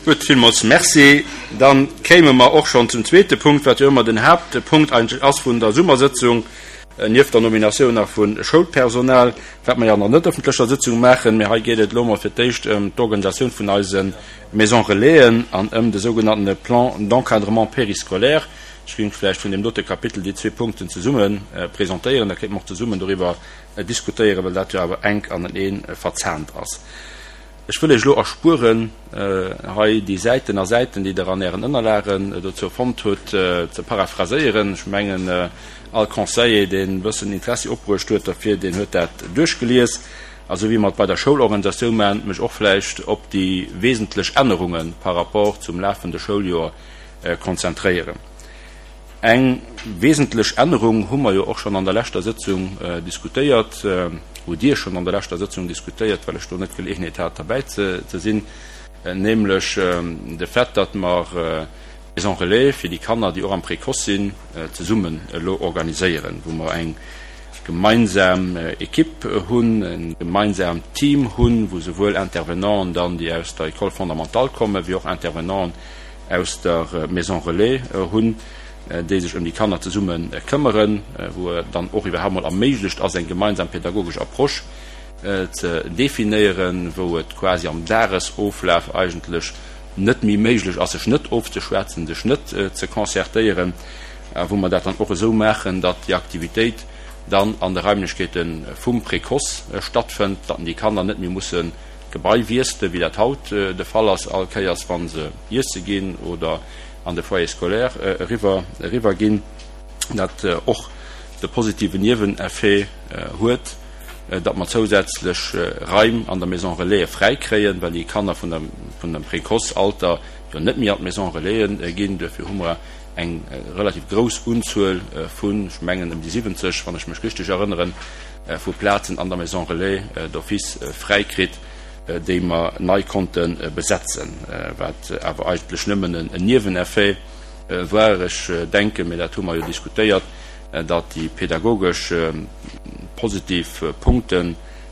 Gutt, villmools Merci. Da kéime mer och schonn zum zweete Punkt, wat jo ëmmer den Haaptpunkt eigentlech ass vun der Summersëtzung, nieft der Nominatioun nach vu Schoulpersonal, wat mer jo an der net ëffentlecher Sëtzung maachen. Mee hei geet et elo emol fir d'éischt ëm d'Organisatioun vun eise Maisons Relaisen an ëm de sougenanntene Plan d'encadrement périscolaire. Ech géing vläicht vun deem dote Kapitel déi zwee Punkten zesumme presentéieren, da kéinte mer och zesummen doriwwer diskutéieren, well dat jo awer enk anenee verzahnt ass. Ech wëll Iech elo erspueren, hei déi Säiten a Säiten, déi Der an Ären Ënnerlagen dozou fonnt hutt, ze paraphraséieren. Ech mengen, all Conseiller, deen e bëssen Interessi opbruecht huet derfir, deen huet dat duerchgelies. A sou wéi mer et bei der Schoulorganisatioun maachen, mech och vläicht op déi wesentlech Ännerunge par rapport zum lafende Schouljoer konzentréieren. Eng wesentlech Ännerung hu mer jo och schonn an der leschter Sëtzung diskutéiert, hutt Dir schonn an der leschter Sëtzung diskutéiert, well ech do net d'Geleeënheet hat derbäi ze sinn, nämlech de Fait, datt mer d'Maison relais fir déi Kanner, déi och am Précoce sinn, zesummen elo organiséieren, wou mer eng gemeinsam Equipe hunn, e gemeinsaamt Team hunn, wou souwuel Intervenanten dann, déi aus der École fondamentale kommen, wéi och Intervenanten aus der Maison Relais hunn, déi sech ëm déi Kanner zesumme këmmeren, wou et dann och iwwerhaapt mol erméiglecht ass, eng gemeinsam pedagogesch Approche ze definéieren, wou et quasi am Dagesoflaf eigentlech net méi méiglech ass, sech net ofzeschwätzen, sech net ze concertéieren, a wou mer dat dann och esou maachen, datt déi Aktivitéit dann an de Raimlechkeete vum Précoce stattfënnt, datt déi Kanner net méi mussen D'Gebai wiessele wéi dat haut de Fall ass, all Kéiers wa se iesse ginn oder an de Foyer scolaire eriwwer eriwwer ginn. Dat och de positiven Nieweneffet huet, datt mer zousätzlech Raim an der Maison Relais fräi kréien, well déi Kanner vun der vun dem Précoce-Alter jo net méi an d'Maison Relaisen ginn. Duerfir hu mer eng relativ grouss Unzuel vun, ech mengen ëm déi 70, wann ech mech richteg erënneren, vu Plazen an der Maison Relais d'office fräi kritt, déi mer nei konnte besetzen, wat awer eigentlech nëmmen en Nieweneffet war. Ech denken, mä dat hu mer jo diskutéiert, datt déi pedagogesch positiv Punkte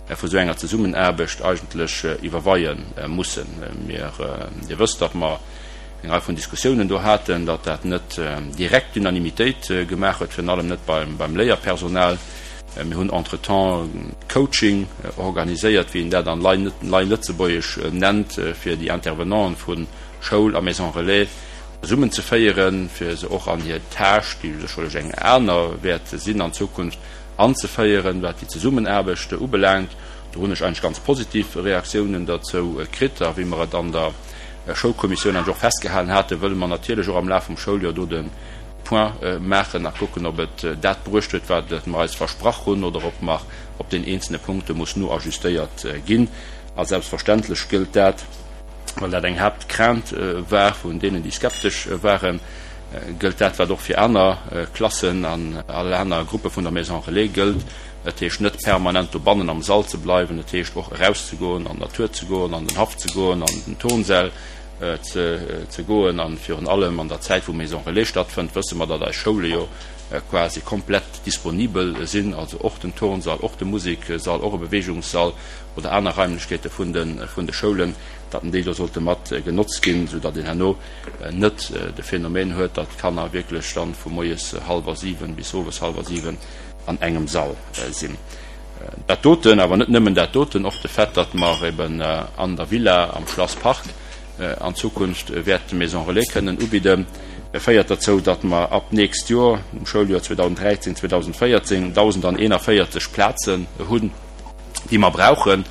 vu sou enger Zesummenaarbecht eigentlech iwwerweie mussen. Mir, Dir wësst, datt mer eng Rei vun Diskussiounen do haten, datt dat net direkt d'Unanimitéit gemaach huet, virun allem net beim Léierpersonal. Mir hunn entretemps Coaching organiséiert, wéi een dat an nei Lëtzebuergesch nennt, fir déi Intervenanten vu Schoul a Maison Relais zesummenzeféieren, fir se och an hir Tâche, déi sécherlech eng aner wäert sinn an Zukunft, anzeféieren, wat déi Zesummenaarbecht ubelaangt. Do hunn ech eigentlech ganz positiv Reaktiounen derzou kritt. A wéi mer et an der Schoulkommissioun eigentlech och festgehalen haten, wëlle mer natierlech och am Laf vum Schouljoer do de Point maachen a kucken, ob et dat bruecht huet, wat mer eis versprach hunn, oder ob nach op den eenzelne Punkte muss noajustéiert ginn. A selbstverständlech gëllt dat, well dat eng Haaptcrainte war vun deenen, déi skeptesch waren, gëllt dat, wat och fir aner Klassen an all aner Gruppe vun der Maison Relais gëllt, Dat heescht net permanent dobannen am Sall ze bleiwen, dat heescht och erauszegoen, an d'Natur ze goen, an den Haff ze goen, an den Turnsäll ze goen. A virun allem an der Zäit, wou Maison Relais stattfënnt, wësse mer, datt eis Schoule jo quasi komplett disponibel sinn, also och den Turnsall, och de Museksall, och e Beweegungssall oder aner Raimlechkeete vun de Schoulen, datt déi do sollte mat genotzt ginn, soudatt een herno net de Phänomen huet, datt d'Kanner wierklech dann vu moies hallwer 7 bis owes hallwer 7 an engem Sall sinn. Dat doten, awer net nëmmen dat doten, och de Fait, datt mer eben an der Villa am Schlass Park an Zukunft wäerte Maison Relais kënnen ubidden, féiert derzou, datt mer ab d'nächst Joer, um Schouljoer 2013, 2014, 1.041 Plazen hunn, déi mer brauchen.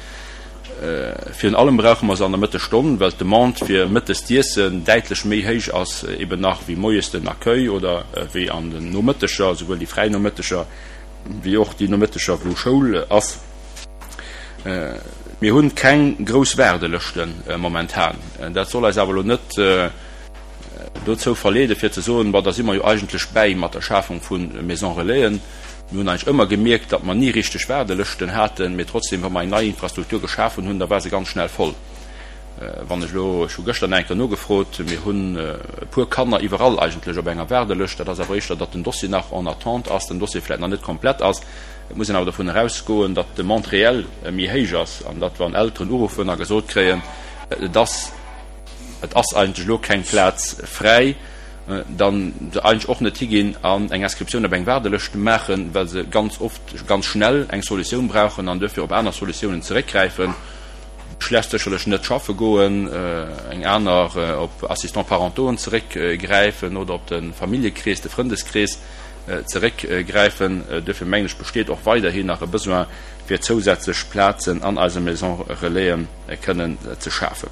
Virun allem brauche mer se an der Mëttesstonn, well d'Demande fir mëttes d'Iessen däitlech méi héich ass eben nach wéi moies den Accueil oder wéi an den Nomëtteger, souwuel déi fräi Nomëtteger wéi och déi Nomëtteger wou Schoul ass. Mir hunn keng grouss Waardelëschte momentan. Dat soll eis awer elo net dozou verleede fir ze soen, Bon, da si mer jo eigentlech bäi mat der Schafung vu Maison Relaisen. Mir hunn eigentlech ëmmer gemierkt, datt mer ni richteg Waardelëschten haten, mee trotzdem, wa mer eng nei Infrastruktur geschafen hunn, da war se ganz schnell voll. Wann ech elo, ech hu gëschter nach eng Kéier nogefrot, mir hunn e puer Kanner iwwerall eigentlech op enger Waardelëscht. Dat ass awer éischter, datt den Dossier nach en attente ass, den Dossier vläicht nach net komplett ass. Et muss een awer dovun erausgoen, datt d'Demande réelle méi héich ass an datt, wann Elteren uruffen a gesot kréien, et ass. et ass eigentlech elo keng Plaz fräi, dann se eigentlech och net higinn an eng Inscriptioun op eng Waardelëscht maachen, well se ganz oft ganz schnell eng Solutioun brauchen an duerfir op aner Solutiounen zeréckgräifen. Schlecht sécherlech net schaffe goen, eng aner op Assistants parentauxen zeréckgräifen oder op de Familljekrees, de Frëndeskrees zeréckgräifen. Duerfir mengen ech, besteet och weiderhin nach e Besoin, fir zousätzlech Plazen an eise Maisons relaisen kënnen ze schafen.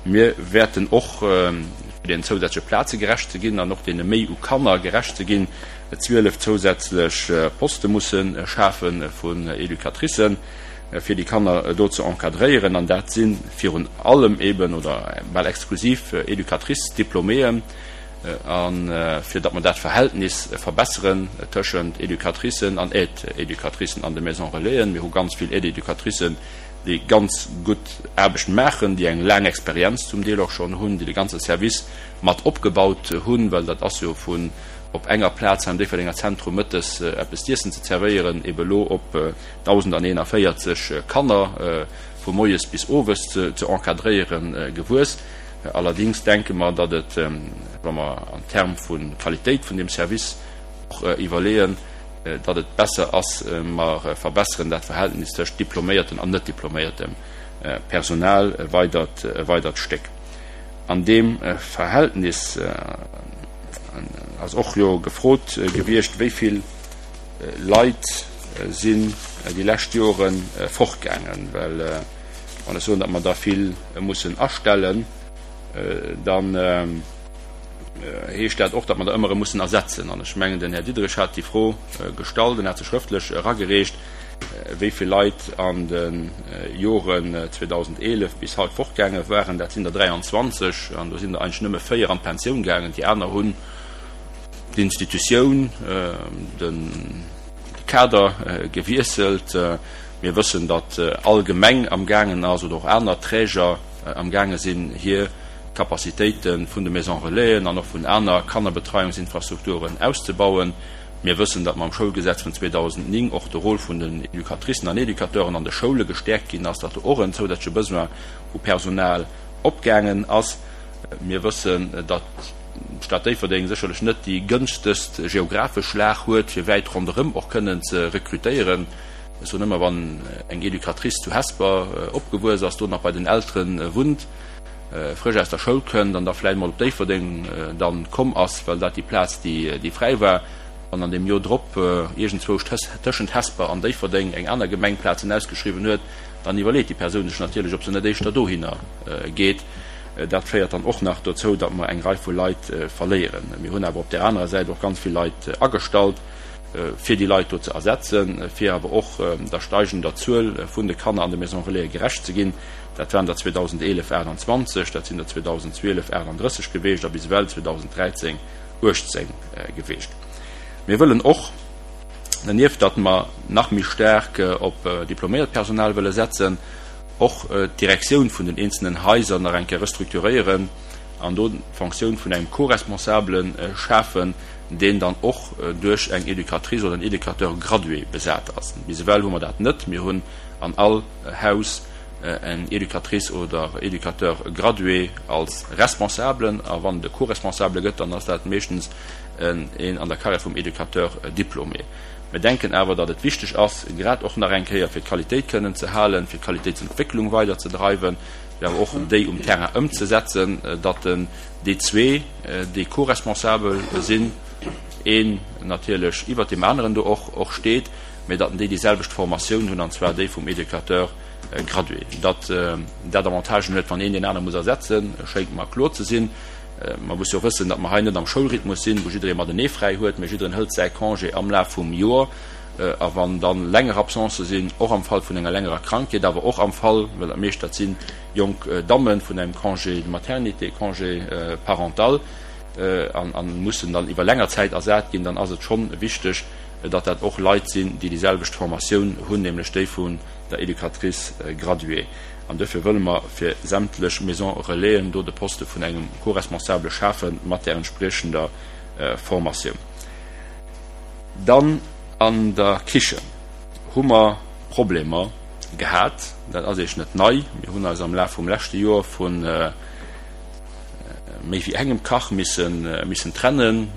Mir wäerten och, fir deenen zousätzleche Plaze gerecht ze ginn an och deene Méi u Kanner gerecht ze ginn, 12 zousätzlech Poste musse schafe vun Educatricen, fir déi Kanner do ze encadréieren. An dat si virun allem eben oder bal exklusiv Educatrice-Diplôméen. A fir datt mer dat Verhältnis verbesseren tëschent Educatricen an Aide-éducatricen an de Maisons Relaisen. Mir hu ganz vill Aide-éducatricen, déi ganz gutt Aarbecht maachen, déi eng laang Experienz zum Deel och schonn hunn, déi de ganze Service mat opgebaut hunn, well dat ass jo vun op enger Plaz am Déifferdenger Zentrum mëttes eppes z'iessen ze zerwéieren, ebe lo op 1.041 Kanner vu moies bis owes ze encadréieren, gewuess. Allerdings denke mer, datt et, wa mer an Term vu Qualitéit vun deem Service och iwwerleeën, datt et besser ass, mer verbesseren dat Verhältnis tëscht diploméierten an net diploméiertem Personal e weidert, e weidert Stéck. An deem Verhältnis ass och jo gefrot gewiescht, wéi vill Leit sinn déi lescht Jore fortgaangen, well wann ech soen, datt mer der vill mussen astellen, dann heescht dat och, datt mer der ëmmer erëm mussen ersetzen. An ech mengen, den Här Diderich hat déi Fro gestallt, en hat se schrëftlech eragereecht, wéi vill Leit an de Joren 2011 bis haut fortgaange waren. Dat sinn der 23, an do sinn der eigentlech nëmme véier an d'Pensioun gaangen. Déi aner hunn d'Institutioun, de Kader gewiesselt. Mir wëssen, datt all Gemeng amgaangen ass oder och aner Träger amgaange sinn, hir Capacitéite vun de Maisons Relaisen an och vun aner Kannerbetreiungsinfrastrukturen auszebauen. Mir wëssen, datt mam Schoulgesetz vun 2009 och de Rôle vun den Educatricen an Educateuren an de Schoule gestäerkt ginn ass, datt do och en zousätzleche Besoin u Personal opgaangen ass. Mir wëssen, datt d'Stad Déifferdeng sécherlech net déi gënschtegst geographesch Lag huet, fir wäit ronderëm och kënnen ze rekrutéieren. Ech soen ëmmer, wann eng Educatrice zu Hesper opgewuess ass, do nach bei den Eltere wunnt, frësch aus der Schoul kënnt an da vläicht mol op Déifferdeng dann komm ass, well dat déi Plaz déi fräi war, an an deem Joer drop iergendzwousch tëschent Hesper an Déifferdeng eng aner Gemeng Plazen ausgeschriwwen huet, dann iwwerleet déi Persoun sech natierlech, ob se net éischter dohinner geet. Dat féiert dann och nach dozou, datt mer eng Rei vu Leit verléieren. Mir hunn awer op där anerer Säit och ganz vill Leit agestallt, fir déi Leit do ze ersetzen, fir awer och der steigender Zuel vun de Kanner an de Maisons Relaisen gerecht ze ginn. Dat waren der 2011 28, dat sinn der 2012 38 geweecht a bis ewell 2013 18 geweecht. Mir wëllen och, dernieft datt mer nach méi staark op diploméiert Personal wëlle setzen, och d'Direktioun vun den eenzelnen Haiser nach eng Kéier restrukturéieren an do d'Fonctioun vun engem Co-Responsabele schafen, deen dann och duerch eng Educatrice oder en Educateur gradué besat ass. Bis ewell hu mer dat net. Mir hunn an all Haus eng Educatrice oder Educateur gradué als Responsablen, a wann et e Co-Responsable gëtt, dann ass dat meeschtens een an der Carrière vum Educateur diplômé. Mir denken awer, datt et wichteg ass, grad och nach eng Kéier fir d'Qualitéit kënnen ze halen, fir d'Qualitéitsentwécklung weiderzedreiwen, fir awer och déi um Terrain ëmzesetzen, datt den déi zwee, déi co-responsabel sinn, een natierlech iwwert deem aneren do och och steet, mä datt déi déi selwecht Formatioun hunn, an zwar déi vum Educateur gradué. Datt dat Avantagen huet, wann een deen anere muss ersetzen, schéngt mer kloer ze sinn. Mer musse jo och wëssen, datt mer hei net am Schoulrhythmus sinn, wou jidderee matenee fräi huet, mä jiddereen hëlt säi Congé am Laf vum Joer. A wann da länger Absencë sinn, och am Fall vun enger längerer Krankheet, awer och am Fall, well dat meescht dat si jonk Dammen, vun engem Congé de maternité, Congé parental, a mussen dann iwwer länger Zäit ersat ginn, dann ass et schonn wichteg, datt dat och Leit sinn, déi déi selwecht Formatioun hunn, nämlech déi vun der Educatrice graduée. An duerfir wëlle mer fir sämtlech Maisons Relaisen do de Poste vun engem Co-responsable schafe mat där entspriechender Formatioun. Dann an der Kichen hu mer Problemer gehat. Dat ass Iech net nei. Mir hunn eis am Laf vum leschte Joer vun. méi wéi engem Kach missen trennen.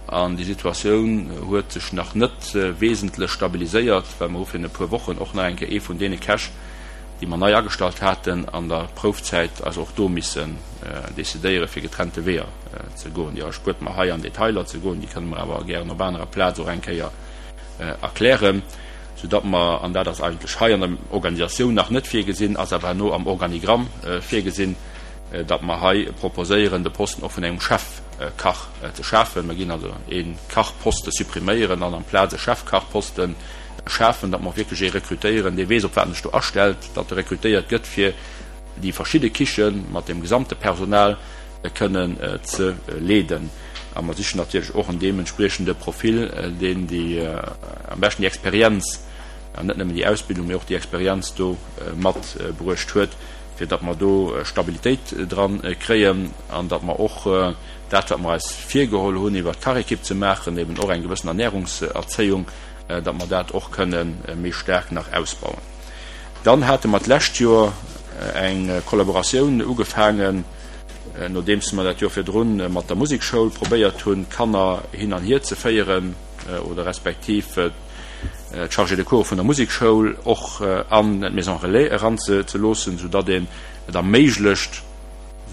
An déi Situatioun huet sech nach net wesentlech stabiliséiert, well mer hu virun e puer Wochen och nach eng Kéier ee vun deene Käch, déi mer nei agestallt haten an der Proufzäit, eis och do missen decidéiere fir getrennte Weeër ze goen. Déi erspuert mer hei an Detailer ze goen, déi kënne mer awer gären op anerer Plaz och eng Kéier erklären, soudatt mer, an dat ass eigentlech hei an der Organisatioun nach net virgesinn, ass awer herno am Organigramm virgesinn, datt mer hei proposéieren, de Posten och vun engem Chefkach ze schafen. Mer ginn also ee Kachposte suppriméieren an amplaz e Chefkachposten schafen, datt mer och wierklech ee rekrutéieren, dee weess, op wat en sech do astellt, datt e rekrutéiert gëtt, fir déi verschidde Kiche mat dem gesamte Personal kënnen ze leeden. A mer sichen natierlech och en deementspriechende Profil, deen déi am beschten déi Experienz, an net nëmmen déi Ausbildung, mee och déi Experienz do matbruecht huet, fir datt mer do Stabilitéit dran kréien an datt mer och dat, wat mer eis virgeholl hunn, iwwert d'Kachekipp ze maachen, eben och eng gewëssen Ernährungserzéiung, datt mer dat och kënne méi staark nach ausbauen. Dann hate mer d'lescht Joer eng Kollaboratioun ugefaangen, nodeems mer dat Joer virdrun mat der Musekschoul probéiert hunn, d'Kanner hin an hier ze féieren oder respektiv d'Chargés de cours vun der Musekschoul och an d'Maison relais eran ze loossen, soudatt een et erméiglecht,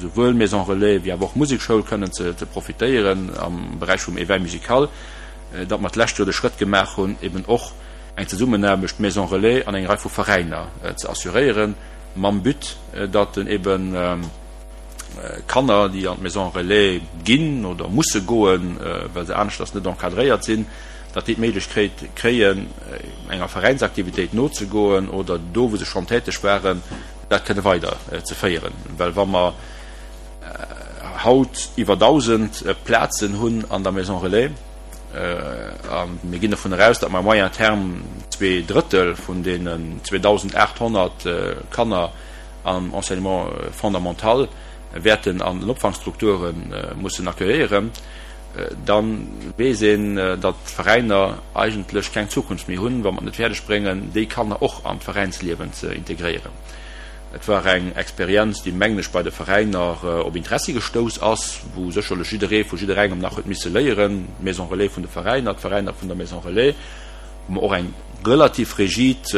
souwuel Maison relais wéi awer och Musekschoul kënnen ze profitéieren am Beräich vum Éveil musical. Datt mer d'lescht Joer de Schrëtt gemaach hunn, eben och eng Zesummenaarbecht Maison relais an eng Rei vu Veräiner ze assuréieren, mam But, datt eben Kanner, déi an d'Maison relais ginn oder musse goen, well se aneschters net encadréiert sinn, datt déi d'Méiglechkeet kréien, enger Veräinsaktivitéit nozegoen oder do, wou se schonn täteg waren, dat kënne weider ze féieren. Well wa mer haut iwwer 1.000 Plazen hunn an der Maison relais, a mir ginn dovun eraus, datt mer à moyen terme 2/3 vun deenen 2.800 Kanner am Enseignement fondamental wäerten an den Opfangstrukture mussen accueilléieren, da weess een, datt d'Veräiner eigentlech keng Zukunft méi hunn, wa mer et net fäerdeg bréngen, déi Kanner och an d'Veräinsliewen ze integréieren. Et war eng Experienz, déi, mengen ech, bei de Veräiner op Interessi gestouss ass, wou sécherlech jidderee vu jidderengem nach huet misse léieren, d'Maison Relais vun de Veräiner, d'Veräiner vun der Maison Relais, wou mer och eng relativ rigid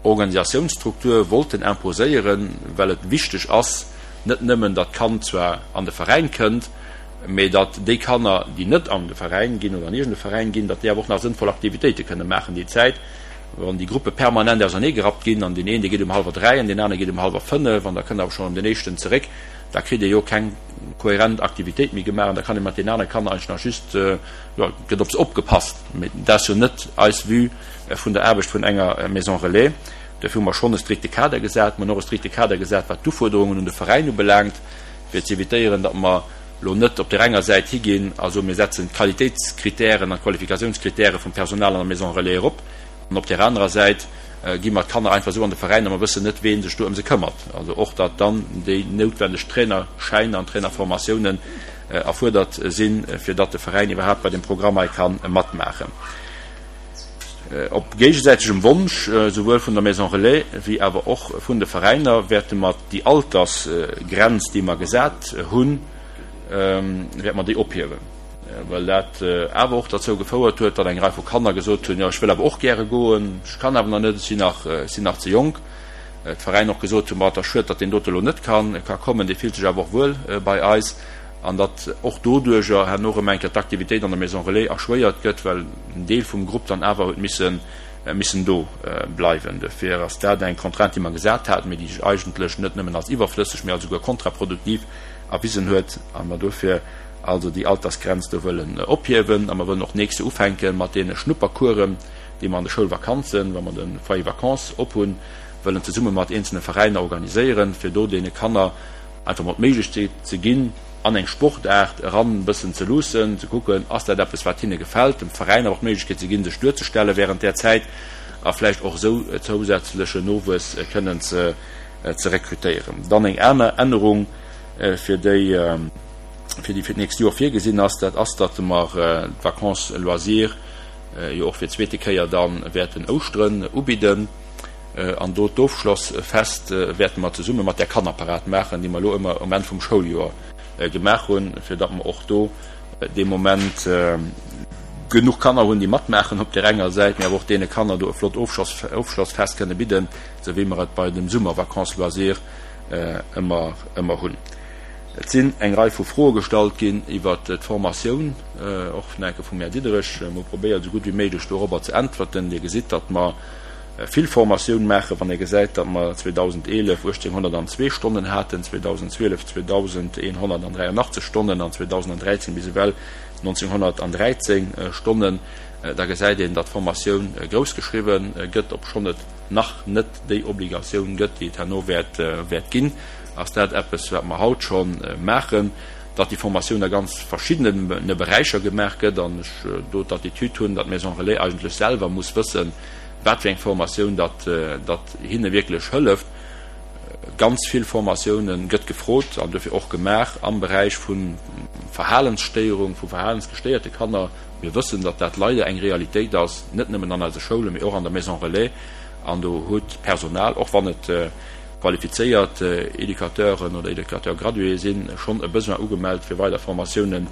Organisatiounsstruktur wollten imposéieren, well et wichteg ass, net nëmmen, datt d'Kand zwar an de Veräin kënnt, mee datt déi Kanner, déi net an de Veräin ginn oder an iergend e Veräin ginn, datt déi awer och nach sënnvoll Aktivitéite kënne maachen déi Zäit, wann déi Gruppe permanent auserneegerappt ginn an deen een, dee geet um hallwer 3 an deen anere geet um hallwer 5 an da kënnt awer schonn erëm deen éischten zeréck, da kritt ee jo keng kohärent Aktivitéit méi gemaach an da kann ee mat deenen anere Kanner eigentlech nach just, jo, gëtt op se opgepasst. Mee dat ass jo net eis Vue vun der Aarbecht vun enger Maison Relais. Dofir hu mer schonn e strikte Kader gesat. Mer hunn och e strikte Kader gesat, wat d'Ufuerderungen un de Veräin ubelaangt, fir z'evitéieren, datt mer elo net op där enger Säit higinn a soen, mir setzen d'Qualitéitskritären an d'Qualifikationskritäre vum Personal an der Maison Relais erop, an op där anerer Säit gi mer d'Kanner einfach esou an de Veräin a mer wëssen net, wee sech do ëm se këmmert. Also och, datt dann déi noutwendeg Trainerschäiner an Trainerformatiounen erfuerdert sinn, fir datt de Veräin iwwerhaapt bei deem Programm hei ka matmaachen. Op géigesäitegem Wonsch, souwuel vun der Maison Relais wéi awer och vun de Veräiner, wäerte mer déi Altersgrenz, déi mer gesat hunn, wäerte mer déi ophiewen, well dat awer och derzou gefouert huet, datt eng Rei vu Kanner gesot hunn, jo ech wëll awer och gäre goen, ech kann awer nach net, ech sinn nach, ech sinn nach ze jonk. D'Veräiner och gesot hunn, ma et ass schued, datt deen dote elo net kann, ka kommen, dee fillt sech awer och wuel bei eis. An datt och doduerjer herno erëm eng Kéier d'Aktivitéit an der Maison Relais erschwéiert gëtt, well en Deel vum Grupp dann awer huet missen, missen do bleiwen. Dofir ass dat eng Contrainte, déi mer gesat haten, mee déi sech eigentlech net nëmmen als iwwerflësseg, mee als esouguer kontraproduktiv erwisen huet, a mer dofir also déi Altersgrenz do wëllen ophiewen. A mer wëllen och d'nächst Joer ufänke mat deene Schnuppercoursen, déi mer an de Schoulvakanzen, wa mer de Foyer vacances ophunn, wëllen zesumme mat eenzelne Veräiner organiséieren, fir do deene Kanner einfach mol d'Méiglechkeet ze ginn, an eng Sportaart eran e bëssen ze luussen, ze kucken, ass dat eppes, wat hinne gefält, dem Veräin awer och d'Méiglechkeet ze ginn, sech duerzestelle während där Zäit a vläicht och esou zousätzlechen Nowuess kënnen ze rekrutéieren. Dann eng aner Ännerung, fir déi fir déi fir d'nächst Joer virgesinn ass, dat ass, datt mer d'Vacances loisirs jo och fir d'zweete Kéier da wäerten Ouschteren ubidden. An do d'Ofschlossfest wäerte mer zesumme mat där Kannerparad maachen, déi mer elo ëmmer um Enn vum Schouljoer. gemaach hunn, fir datt mer och do dee Moment genuch Kanner hunn, déi matmaachen op där enger Säit, mee awer och deene Kanner do e flott Ofschlossfest kënne bidden, esou wéi mer et bei dem Summer-Vacances loisirs ëmmer ëmmer hunn. Et sinn eng Rei vu Froe gestallt ginn iwwert d'Formatioun, och vun enke vum Här Diderich. Mir hu probéiert, esou gutt wéi méiglech dorobber ze äntwerten. Dir gesitt, datt mer vill Formatioun maachen. Wann ee gesäit, datt mer 2011 1.802 Stonnen haten, 2012 2.183 Stonnen an 2013 bis ewell 1.913 Stonnen, da gesäit een, datt d'Formatioun groussgeschriwwen gëtt, obschonn et nach net déi Obligatioun gëtt, déi et herno wäert ginn, ass dat eppes, wat mer haut scho maachen, datt déi Formatioun a ganz verschiddene Beräicher gemaach gëtt an ech do d'Attitude hunn, datt d'Maison Relais eigentlech selwer muss wëssen, wat fir eng Formatioun datt hinne wierklech hëlleft. Ganz vill Formatioune gëtt gefrot an dofir och gemaach am Beräich vu Verhalensstéierung, vu verhalensgestéierte Kanner. Mir wëssen, datt dat leider eng Realitéit ass, net nëmmen an eise Schoulen, mee och an der Maison Relais. An do huet d'Personal, och wann et qualifizéiert Educateuren oder Educateurs gradués sinn, schonn e Besoin ugemellt, fir weider Formatiounen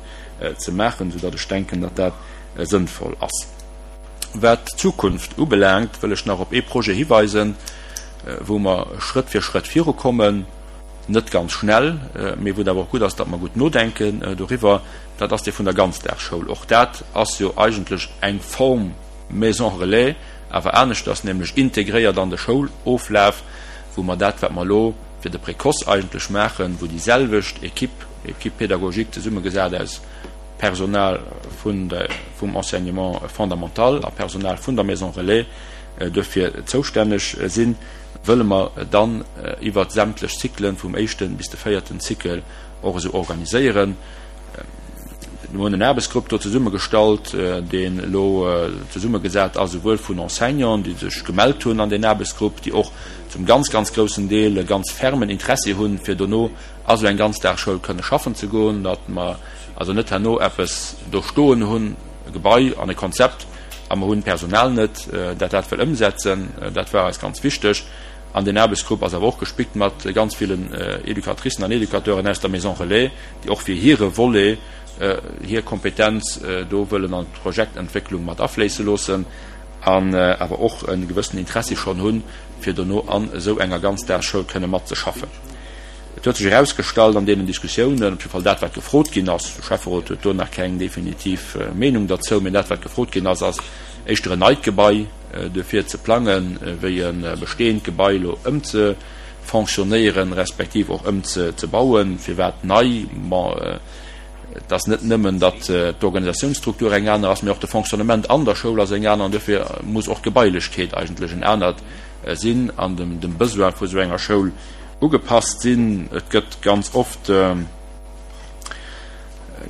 ze maachen, soudatt ech denken, datt dat sënnvoll ass. Wat d'Zukunft ubelaangt, wëll ech nach op ee Projet hiweisen, wou mer Schrëtt fir Schrëtt virukommen, net ganz schnell, mee wou et awer och gutt ass, datt mer gutt nodenken doriwwer. Dat ass dee vun der Ganzdagsschoul. Och dat ass jo eigentlech eng Form Maison relais, awer aneschters, nämlech integréiert an de Schouloflaf, wou mer dat, wat mer elo fir de Précoce eigentlech maachen, wou déi selwecht Équipe, Équipe pédagogique zesummegesat aus Personal vun der, vum Enseignement fondamental a Personal vun der Maison relais duerfir zoustänneg sinn, wëlle mer dann iwwert sämtlech Cyclen, vum éischten bis de véierten Cycle, och esou organiséieren. Mir hunn en Aarbechtsgrupp do zesummegestallt, deen elo zesummegesat ass, esouwuel vun Enseignanten, déi sech gemellt hunn an deen Aarbechtsgrupp, déi och zum ganz, ganz groussen Deel e ganz fermen Interessi hunn, fir dono a sou eng Ganzdagsschoul kënne schaffen ze goen, datt mer also net herno eppes do stoen hunn, e Gebai an e Konzept, a mer hunn d'Personal net, dat dat wëll ëmsetzen. Dat war eis ganz wichteg. An deen Aarbechtsgrupp ass awer och gespickt mat ganz villen Educatricen an Educateuren aus der Maison Relais, déi och fir hire Volet hir Kompetenz do wëllen an d'Projektentwécklung mat afléisse loossen an awer och e gewëssenen Interessi schonn hunn, fir dono an esou enger Ganzdagsschoul kënne matzeschaffen. Et huet sech erausgestallt an deenen Diskussiounen, op jidde Fall dat, wat gefrot ginn ass, de Schäfferot huet do nach keng definitiv Meenung derzou, mä dat, wat gefrot ginn ass, ass éischter en neit Gebai duerfir ze plangen, wéi e bestehend Gebai elo ëmze fonctionnéieren, respektiv och ëmzebauen. Firwat nei? Bon, et ass net nëmmen, datt d'Organisationsstruktur eng aner ass, mee och de Fonctionnement an der Schoul ass eng aner an duerfir muss och d'Gebailechkeet eigentlech en anert sinn an dem Besoin vu sou enger Schoul ugepasst sinn. Et gëtt ganz oft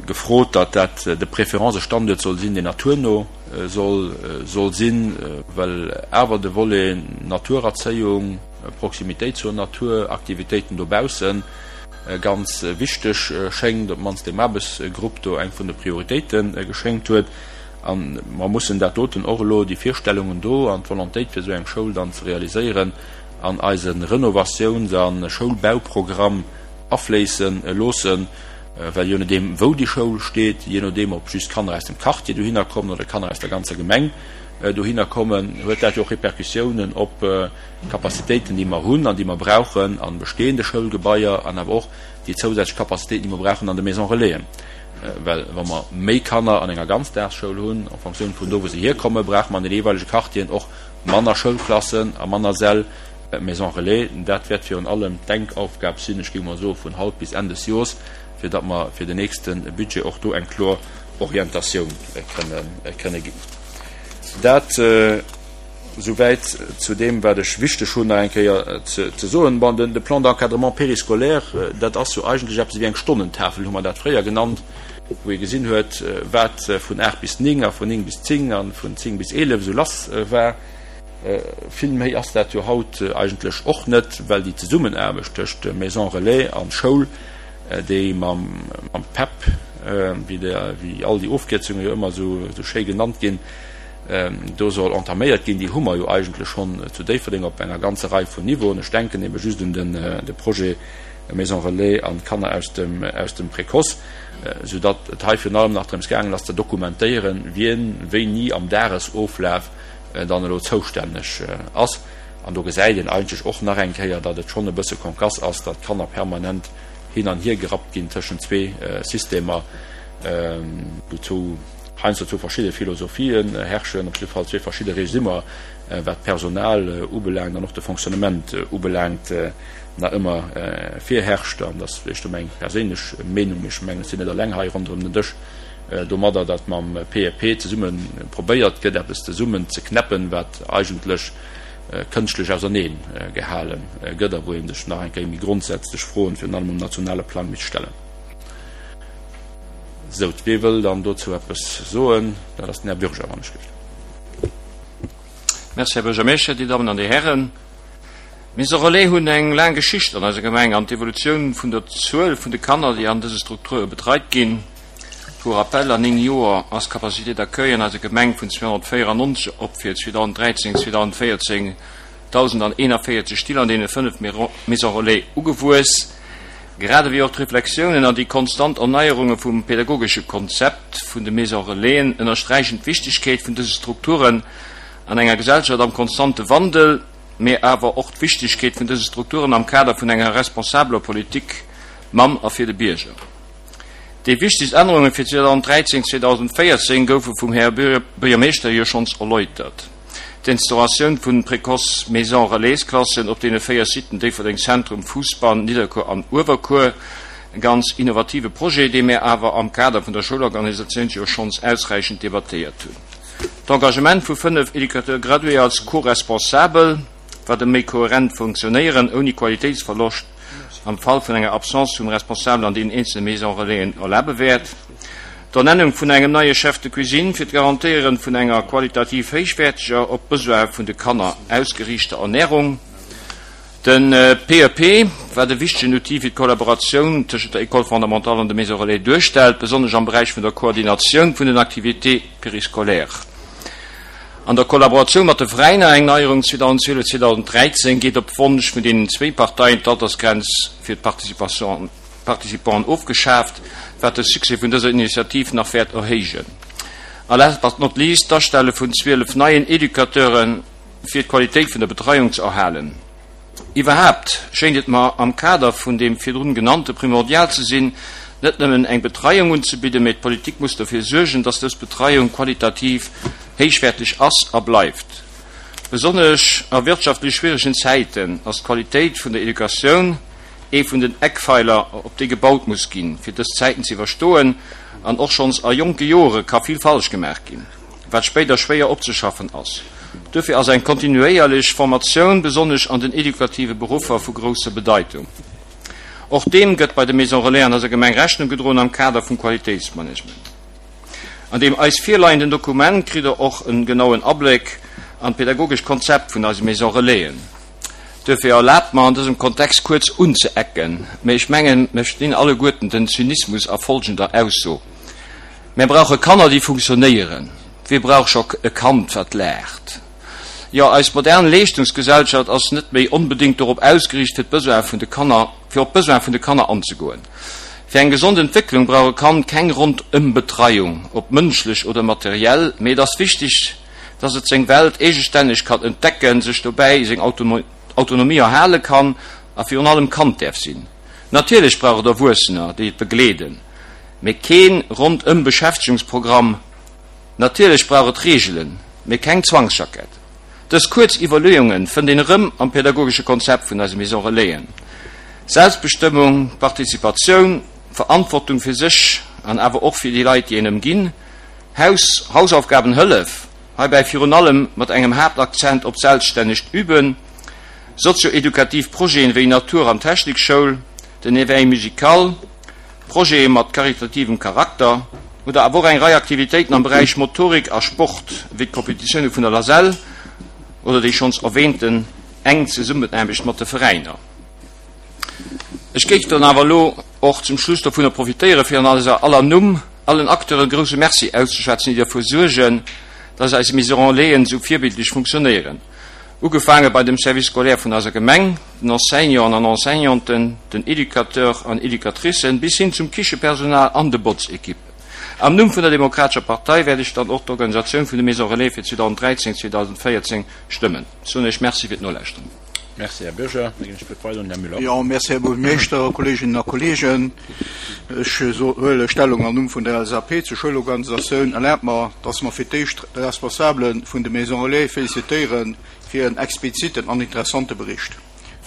gefrot, datt dat de préférence e Standuert soll sinn, deen naturno soll sinn, well awer de Volet Naturerzéiung, Proximitéit zur Natur, Aktivitéiten dobaussen ganz wichteg schéngt, op d'mannst deem Aarbechtsgrupp do eng vun de Prioritéite geschéngt huet. A mer mussen dat doten och elo, déi Virstellungen do an d'Volontéit fir esou eng Schoul dann ze realiséieren, an eise Renovatiouns a Schoulbauprogramm afléisse loossen, well je nodeem wou déi Schoul steet, je nodeem ob just Kanner aus dem Quartier dohinner kommen oder Kanner aus der ganzer Gemeng dohinner kommen, huet dat jo och Repercussiounen op d'Capacitéiten, déi mer hunn an déi mer brauchen a bestehende Schoulgebaier an awer och déi zousätzlech Capacitéiten, déi mer brauchen an de Maisons Relaisen. Well wa mer méi Kanner an enger Ganzdagsschoul hunn, en Fonctioun vun do, wou se hierkommen, brauche mer an de jeeweilege Quartieren och manner Schoulklassen a manner Säll Maison Relais. Dat wäert virun allem d'Denkaufgab sinn, ech géing mol soe vun haut bis Enn des Jors, fir datt mer fir den nächste Budget och do eng kloer Orientatioun kënne ginn. Dat souwäit zu deem, wat ech wichteg hunn nach eng Kéier ze soen. Bon, de Plan d'encadrement périscolaire, dat ass jo eigentlech eppes ewéi eng Stonnentafel, hu mer dat fréier genannt, wou ee gesinn huet, wat vun 8 bis 9 a vun 9 bis 10 a vun 10 bis 11 esou lass war. Vill méi ass dat jo haut eigentlech och net, well déi Zesummenaarbecht tëscht Maison Relais an Schoul, déi mam PEP, wéi all déi Ofkierzunge jo ëmmer esou schéi genannt ginn, do soll entaméiert ginn, déi hu mer jo eigentlech schonn zu Déifferdeng op enger ganzer Rei vun Niveauen. Ech denken ebe just un de Projet. Maison Relais an d'Kanner aus dem aus dem Précoce, sou datt et hei virun allem nach drëms gaangen ass ze dokumentéieren, wien wéini am Dagesoflaf dann elo zoustänneg ass. An do gesäit een eigentlech och nach eng Kéier, datt et schonn e bësse konkass ass, datt d'Kanner permanent hin an hier gerappt ginn tëschent zwee Systemer, wou zwou heiansdo zwou verschidde Philosophien herrschen, op jidde Fall zwee verschidde Regimer, wat d'Personal ubelaangt an och de Fonctionnement ubelaangt, nach ëmmer virherrscht. An dat ass vläicht do meng perséinlech Meenung, mee ech mengen, ech sinn net eleng hei ronderëm den Dësch domadder, datt mam PEP zesumme probéiert gëtt, eppes zesummen ze knäppen, wat eigentlech kënschtlech ausernee gehale gëtt a wou ee sech nach eng Kéier méi grondsätzlech Froen, virun allem um nationale Plang, misst stellen. Sou, wee wëll dann dozou eppes soen? Dat ass den Här Bürger, wann ech gelift. Merci, Här Buergermeeschter, Dir Dammen an Dir Hären. D'Maisons Relais hunn eng laang Geschicht an eiser Gemeng an d'Evolutioun vun der Zuel vun de Kanner, déi an dëse Strukture betreit ginn. Pour rappel, an 9 Joer ass d'Capacité d'accueil an eiser Gemeng vun 294 op fir 2013, 2014 1.041 Still an deene 5 Maisons Relais ugewuess. Grad ewéi och d'Reflexiounen an déi konstant Erneierunge vum pedagogesche Konzept vun de Maisons Relaisen ënnersträichen d'Wichtegkeet vun dëse Strukturen an enger Gesellschaft am konstante Wandel. mee awer och d'Wichtigkeet vun dëse Strukturen am Kader vun enger responsabeler Politik mam a fir de Bierger. Déi wichtigst Ännerunge fir 2013, 2014 goufe vum Här Buergermeeschter jo schonns erläutert. D'Instauratioun vun Précoce Maisons Relais-Klassen op deene 4 Siten Déifferdeng Zentrum, Fousbann, Nidderkuer an Uewerkuer, e ganz innovative Projet, dee mir awer am Kader vun der Schoulorganisatioun jo schonns ausräichend debattéiert hunn. D'Engagement vu 5 Éducateurs gradués als Co-responsabel, wat e méi kohärent Funktionéieren ouni Qualitéitsverloscht am Fall vun enger Absence vum Responsabel an deenen eenzele Maisons Relaisen erlabe wäert. D'Ernennung vun engem neie Chef de cuisine fir d'Garantéieren vun enger qualitativ héichwäerteger, op d'Besoin vun de Kanner ausgeriichter Ernährung. De PEP, wat e wichtegen Outil fir d'Kollaboratioun tëschent der École fondamentale an de Maisons relais duerstellt, besonnesch am Beräich vun der Koordinatioun vun den Activités périscolaires. An der Kollaboratioun mat de Veräiner, eng Neierung 2012, 2013, geet op Wonsch vun deenen zwéi Parteien d'Altersgrenz fir d'Participanten ofgeschaaft, wat de Succès vun dëser Initiativ nach wäert erhéijen. A last but not least d'Astelle vun 12 neien Educateuren, fir d'Qualitéit vun der Betreiung ze erhalen. Iwwerhaapt schéint et mer am Kader vun deem virdrun genannte primordial ze sinn, net nëmmen eng Betreiung unzebidden, mee d'Politik muss dofir suergen, dass dës Betreiung qualitativ héichwäerteg ass a bleift. Besonnesch a wirtschaftlech schwieregen Zäiten ass d'Qualitéit vun der Educatioun ee vun den Eckpfeiler, op déi gebaut muss ginn, fir dës Zäiten ze iwwerstoen. An och schonns a jonke Jore ka vill falsch gemaach ginn. wat spéider schwéier opzeschaffen ass. Duerfir ass eng kontinuéierlech Formatioun, besonnesch an den edukative Beruffer, vu grousser Bedeitung. Och deem gëtt bei de Maisons Relais an eiser Gemeng Rechnung gedroen am Kader vum Qualitéitsmanagement. An deem eis virleienden Dokument kritt Der och en genauen Abléck an d'pedagogescht Konzept vun eise Maisons Relaisen. Duerfir erlaabt mer an dësem Kontext kuerz unzeecken, mee ech mengen, mir verstinn alleguerten den Zynismus a folgender Ausso, Mär brauche Kanner, déi funktionéieren. Wie brauch scho e Kand, wat laacht? Jo, eis modern Leeschtungsgesellschaft ass net méi onbedéngt dorop ausgeriicht, fir d'Besoin vun de Kanner, fir op d'Besoin vun de Kanner anzegoen. Fir eng gesond Entwécklung brauch e Kand keng Rondëmbetreiung, ob mënschlech oder materiell, mee et ass wichteg, dass et seng Welt eegestänneg kann entdecken, sech dobäi seng Autonomie erhale kann a virun allem Kand däerf sinn. Natierlech brauch et Erwuessener, déi et begleeden, mee keen Rondëm-Beschäftegungsprogramm. Natierlech brauch et Reegelen, mee keng Zwangsjackett. Dës kuerz Iwwerleeunge fënnt een erëm am pädagogesche Konzept vun eise Maison Relaisen. Selbstbestëmmung, Participatioun, Verantwortung fir sech an awer och fir déi Leit, déi een ëmginn, Haus, Hausaufgabenhëllef, heibäi virun allem mat engem Haaptakzent op selbststännegt Üben, Sozio-edukativ Projeten wéi Natur an Technikschoul, den Éveil musical, Projete mat karitativem Charakter oder awer och eng Rei Aktivitéiten am Beräich Motorik a Sport wéi d'Kompetitioune vun der LASEL oder déi schonns erwähnten enk Zesummenaarbecht mat de Veräiner. Ech géif dann awer elo och zum Schluss dovunner profitéieren, fir an eiser aller Numm allen Acteuren e grouse Merci auszeschwätzen, déi derfir suergen, dass eis Maison Relaisen esou virbildlech funktionéieren. Ugefaange bei dem Service scolaire vun eiser Gemeng, den Enseignanten an Enseignanten, den Educateur an Educatricen bis hin zum Kichepersonal an de Botzequippen. Am Numm vun der Demokratescher Partei wäert ech dann och d'Organisatioun vun de Maisons Relais fir 2013, 2014 stëmmen. Ech soen Iech Merci fir d'Nolauschteren. Merci, Här Bürger. Da ginn ech d'Wuert weider un den Här Müller. Jo, merci, Här Buergermeeschter, Kolleeginnen a Kolleegen. Ech huele Stellung am Numm vun der LSAP zur Schoulorganisatioun. Erlaabt mer, dass mer fir d'éischt de Responsabele vun de Maisons Relais félicitéiere fir en expliziten an interessante Bericht.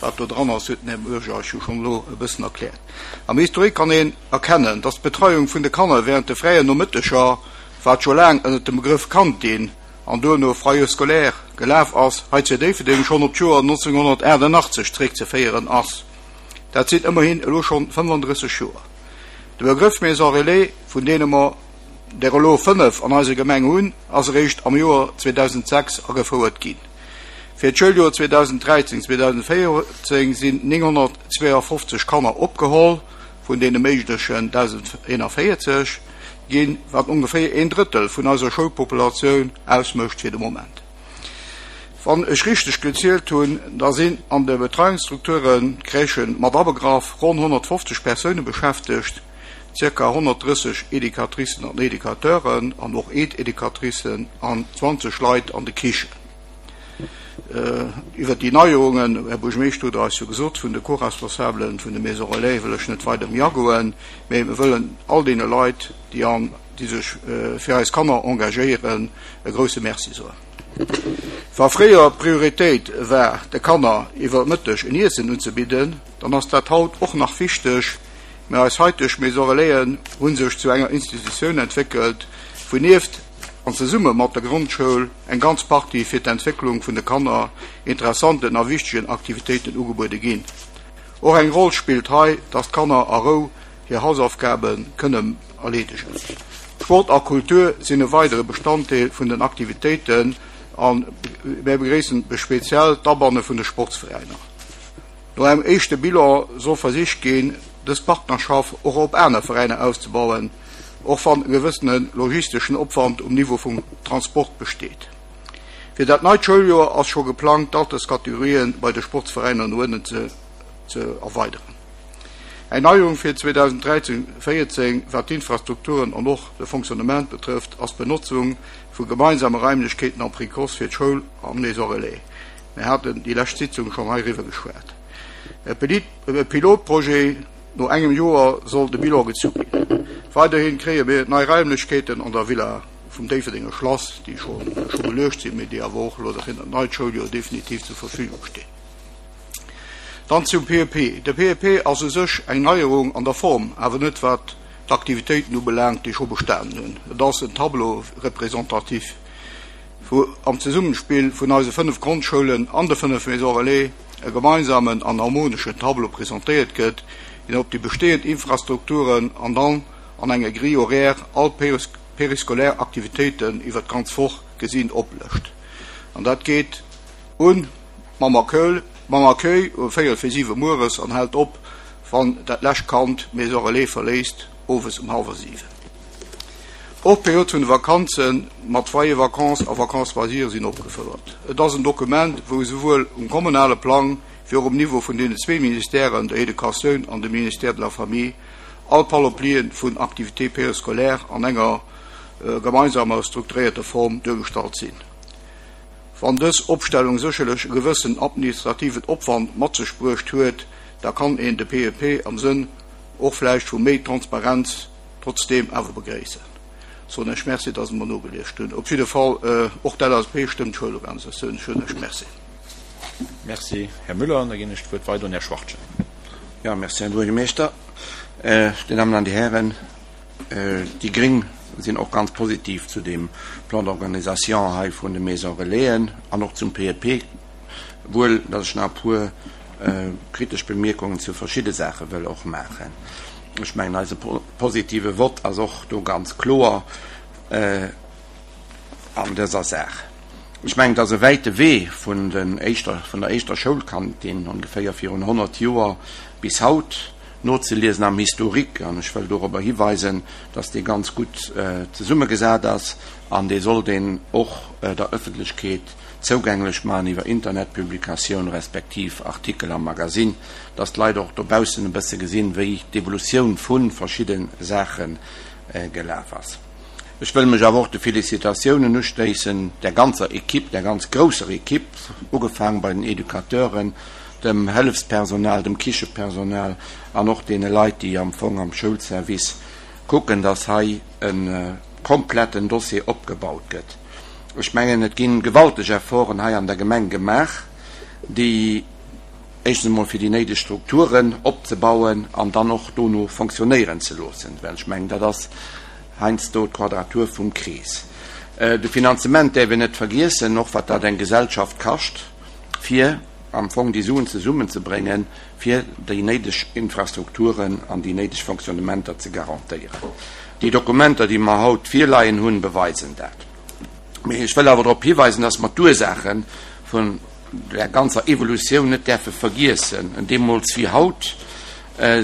Wat do dran ass, huet den Här Bürger eis jo schonn elo e bëssen erkläert. Am Historique kann een erkennen, dass d'Betreiung vun de Kanner während de fräien Nomëtteger, wat scho laang ënnert dem Begrëff Kantin an duerno Foyer scolaire gelaf ass, hei zu Déifferdeng schonn op d'Joer 1988 zréckzeféieren ass. Dat sinn ëmmerhin elo schonn 35 Joer. De Begrëff Maison Relais, vun deene mer der elo 5 an eiser Gemeng hunn, ass eréischt am Joer 2006 agefouert ginn. Fir d'Schouljoer 2013, 2014 sinn 952 Kanner opgeholl, vun deene méiglechen 1.041 ginn, wat ongeféier een Drëttel vun eiser Schoulpopulatioun ausmécht fir de Moment. Wann ech richteg gezielt hunn, da sinn an de Betreiungsstrukturen, d'Crèchen mat abegraff, ronn 150 Persoune beschäftegt, zirka 130 Educatricen an Educateuren an och Aide-éducatricen an 20 Leit an de Kichen. Iwwert déi Neierungen, Här Buergermeeschter, hutt Der eis jo gesot, vun de Co-Responsabelen vun de Maisons Relais wëll ech net weider méi agoen, mä mir wëllen all deene Leit, déi an, déi sech fir eis Kanner engagéieren, e grouse Merci soen. Wa fréier d'Prioritéit war, de Kanner iwwer Mëtteg en Iessen unzebidden, dann ass dat haut och nach wichteg, mä eis haiteg Maisons Relaisen hu sech zu enger Institutioun entwéckelt, wou nieft an zesumme mat der Grondschoul eng ganz Partie fir d'Entwécklung vun de Kanner interessanten a wichtegen Aktivitéiten ugebuede ginn. Och eng Roll spillt hei, dass d'Kanner a Rou hir Hausaufgabe kënnen erleedegen. Sport a Kultur sinn e weidere Bestanddeel vun den Aktivitéiten a mär begréissen speziell d'Abanne vun de Sportsveräiner. No engem éischte Bilan soll versicht ginn, dës Partnerschaft och op aner Veräiner auszebauen, och wann e gewëssene logisteschen Opwand um Niveau vum Transport besteet. Fir dat neit Schouljoer ass scho geplangt, d'Alterskategorien bei de Sportsveräiner no ënnen ze erweideren. Eng Neierung fir 2013, 14, wat d'Infrastrukturen an och de Fonctionnement betrëfft, ass d'Benotzung vu gemeinsame Raimlechkeeten am Précoce fir d'Schoul an d'Maison Relais. Mir haten déi lescht Sitzung schonn heiriwwer geschwat. E Pilotprojet, no engem Joer soll de Bilan gezu ginn. Weiderhi kréie mir nei Raimlechkeeten an der Villa vum Déifferdenger Schlass, déi scho beluecht sinn, mee déi awer och elo fir dat neit Schouljoer definitiv zur Verfügung stinn. Dann zum PEP. De PEP ass u sech eng Neierung an der Form, awer net wat d'Aktivitéiten ubelaangt, déi scho bestanen hunn. Et ass en Tableau représentatif. wou am Zesummespill vun eise 5 Grondschoulen an de 5 Maisons Relais e gemeinsamen an harmoneschen Tableau presentéiert gëtt, deen op déi bestehend Infrastrukturen an dann an enger Grille horaire all périscolaire Aktivitéiten iwwer d'ganz Woch gesinn oplëscht. An dat geet un mam Accueil mam Accueil um véierel fir siwe mueres an hält op, wann dat lescht Kand d'Maison Relais verléisst, owes um hallwer siwen. Och d'Period vun de Vakanze mat Foyer Vacances a Vacances loisirs sinn opgefouert. Et ass en Dokument, wou esouwuel um kommunale Plang wéi och um Niveau vun deenen zwee Ministèren, der Educatioun an dem Ministère de la Famille, all Panoplien vun Activités périscolaires an enger gemeinsamer strukturéierter Form duergestallt sinn. Wann dës Opstellung sécherlech e gewëssen administrativen Opwand mat sech bruecht huet, da kann een de PEP am Sënn och vläicht vu méi Transparenz trotzdeem awer begréissen. Soen ech Merci, dass Der mer nogeliescht hunn. Op jidde Fall, och d'LSAP stëmmt d'Schoulorganisatioun. Ech soen Iech Merci. Merci, Här Müller. An da ginn ech d'Wuert weider un Här Schwachtgen. Jo, merci, Här Buergermeeschter. Dir Dammen an Dir Hären, déi Gréng sinn och ganz positiv zu deem Plan d'organisation hei vun de Maisons Relaisen an och zum PEP. Wuel datt ech nach e puer kritesch Bemierkungen zu verschidde Saache wëll och maachen. Ech mengen, eise positive Vott ass och do ganz kloer an dëser Saach. Ech mengen, et ass e wäite Wee vun den éischter, vun der éischter Schoulkantin ongeféier virun 100 Joer bis haut. nozeliesen am Historique. An ech wëll dorobber hiweisen, dass dee ganz gutt zesummegesat ass an dee sollt een och der Öffentlechkeet zougänglech maachen iwwer Internetpublikatioun respektiv Artikel am Magasinn, dass d'Leit och dobaussen e bësse gesinn, wéi d'Evolutioun vu verschidde Saache gelaf ass. Ech wëll mech awer och de Félicitatiounen uschléissen, der ganzer Equipe, der ganz grousser Equipe, ugefaang bei den Educateuren, dem Hëllefspersonal, dem Kichepersonal an och deene Leit, déi am Fong am Schoulservice kucken, dass hei e kompletten Dossier opgebaut gëtt. Ech mengen, et gi gewalteg Efforten hei an der Gemeng gemaach, déi éischtens emol fir déi néideg Strukturen opzebauen an dann och dono fonctionnéieren ze loossen, well ech mengen, dat ass heiansdo d'Quadratur vum Krees. De Finanzement däerf een net vergiessen, och wat dat eng Gesellschaft kascht, fir am Fong déi Suen zesummenzebréngen, fir déi néideg Infrastrukturen an déi néideg Fonctionnementer ze garantéieren. Déi Dokumenter, déi mer haut virleien hunn, beweisen dat. Mee ech wëll awer drop hiweisen, dass mer d'Ursaache vun där ganzer Evolutioun net däerfe vergiessen. Deemools wéi haut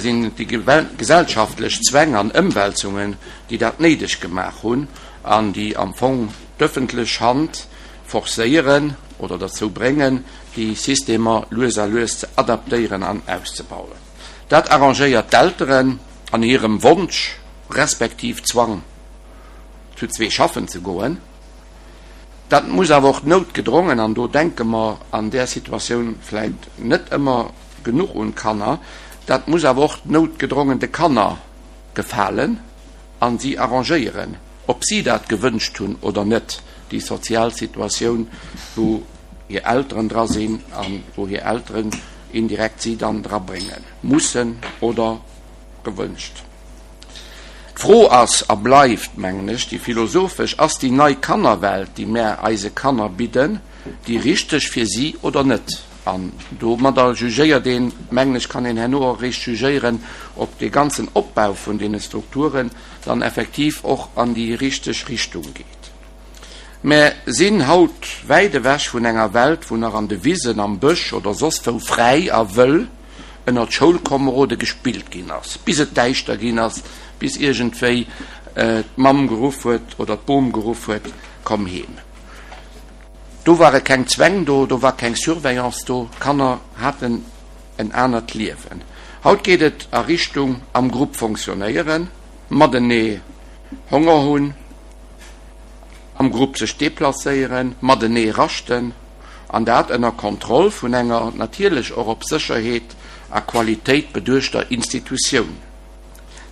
sinn et déi gesellschaftlech Zwäng an Ëmwälzungen, déi dat néideg gemaach hunn an déi am Fong d'öffentlech Hand forcéieren oder derzou bréngen, déi Systemer lues a lues ze adaptéieren an auszebauen. Dat arrangéiert d'Elteren an hirem Wonsch respektiv Zwang, zu zwee schaffen ze goen. Dat muss awer och noutgedrongen, an do denke mer an där Situatioun vläicht net ëmmer genuch un d'Kanner, dat muss awer och noutgedrongen de Kanner gefalen a si arrangéieren, ob si dat gewënscht hunn oder net, déi sozial Situatioun, wou hir Elteren dra sinn a wou hir Elteren indirekt si dann drabrénge mussen oder gewënscht. D'Fro ass a bleift, mengen ech, déi philosophesch, Ass déi nei Kannerwelt, déi mär eise Kanner bidden, déi richteg fir si oder net? An domadder jugéiert een, mengen ech, kann een herno och eréischt jugéieren, ob dee ganzen Opbau vun deene Strukturen dann effektiv och an déi richteg Richtung geet. Mär sinn haut wäit ewech vun enger Welt, wou nach an de Wisen, am Bësch oder soss wou fräi a wëll ënnert Schoulkomerode gespillt ginn ass, bis et däischter ginn ass, bis iergendwéi d'Mamm geruff huet oder d'Bom geruff huet, Komm heem. Do ware keng Zwäng do, do war keng Surveillance do, d'Kanner haten en anert Liewen. Haut geet et a Richtung am Grupp fonctionnéieren, matenee Honger hunn, am Grupp sech deplacéieren, matenee raschten. An dat ënner Kontroll vun enger natierlech och op Sécherheet a Qualitéit beduechter Institutioun.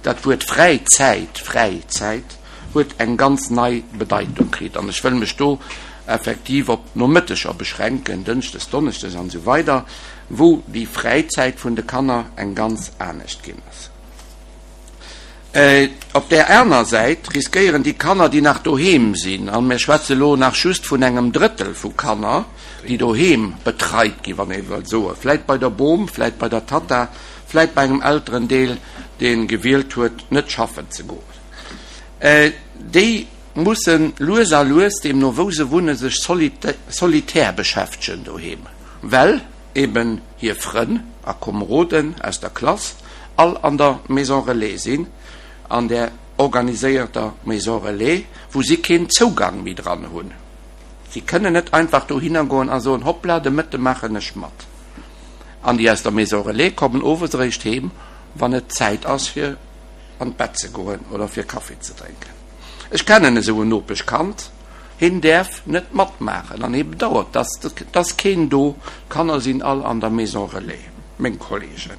Dat Wuert Fräizäit, Fräizäit, huet eng ganz nei Bedeitung kritt. An ech wëll mech do effektiv op d'Nomëtteger beschränken, Dënschdes, Donneschdes an esou weider, wou déi Fräizäit vun de Kanner eng ganz anescht ginn ass. Op där aner Säit riskéieren déi Kanner, déi nach doheem sinn, a mir schwätze lo nach just vun engem Drëttel vu Kanner, déi doheem betreit ginn, wann ee wëllt soen, vläit bei der Bom, vläit bei der Tatta, vläit bei engem Elterendeel, dee gewielt huet, net schaffen ze goen, déi musse lues a lues, deemno wou se wunnen, sech solitär beschäftegen doheem, well eben hir Frënn a Komeroden aus der Klass all an der Maison Relais sinn, an där organiséierter Maison Relais, wou si keen Zougang méi dran hunn. Si kënnen net einfach dohinner goen a soen, Hoppla, de Mëtte maachen ech mat. An déi aus der Maison Relais kommen owes eréischt heem, wann et Zäit ass fir an d'Bett ze goen oder fir Kaffi ze drénken. Ech kennen esou en Nopeschkand, Heen däerf net matmaachen an hee bedauert, dass et ass keen do, d'Kanner sinn all an der Maison Relais, meng Kollegen.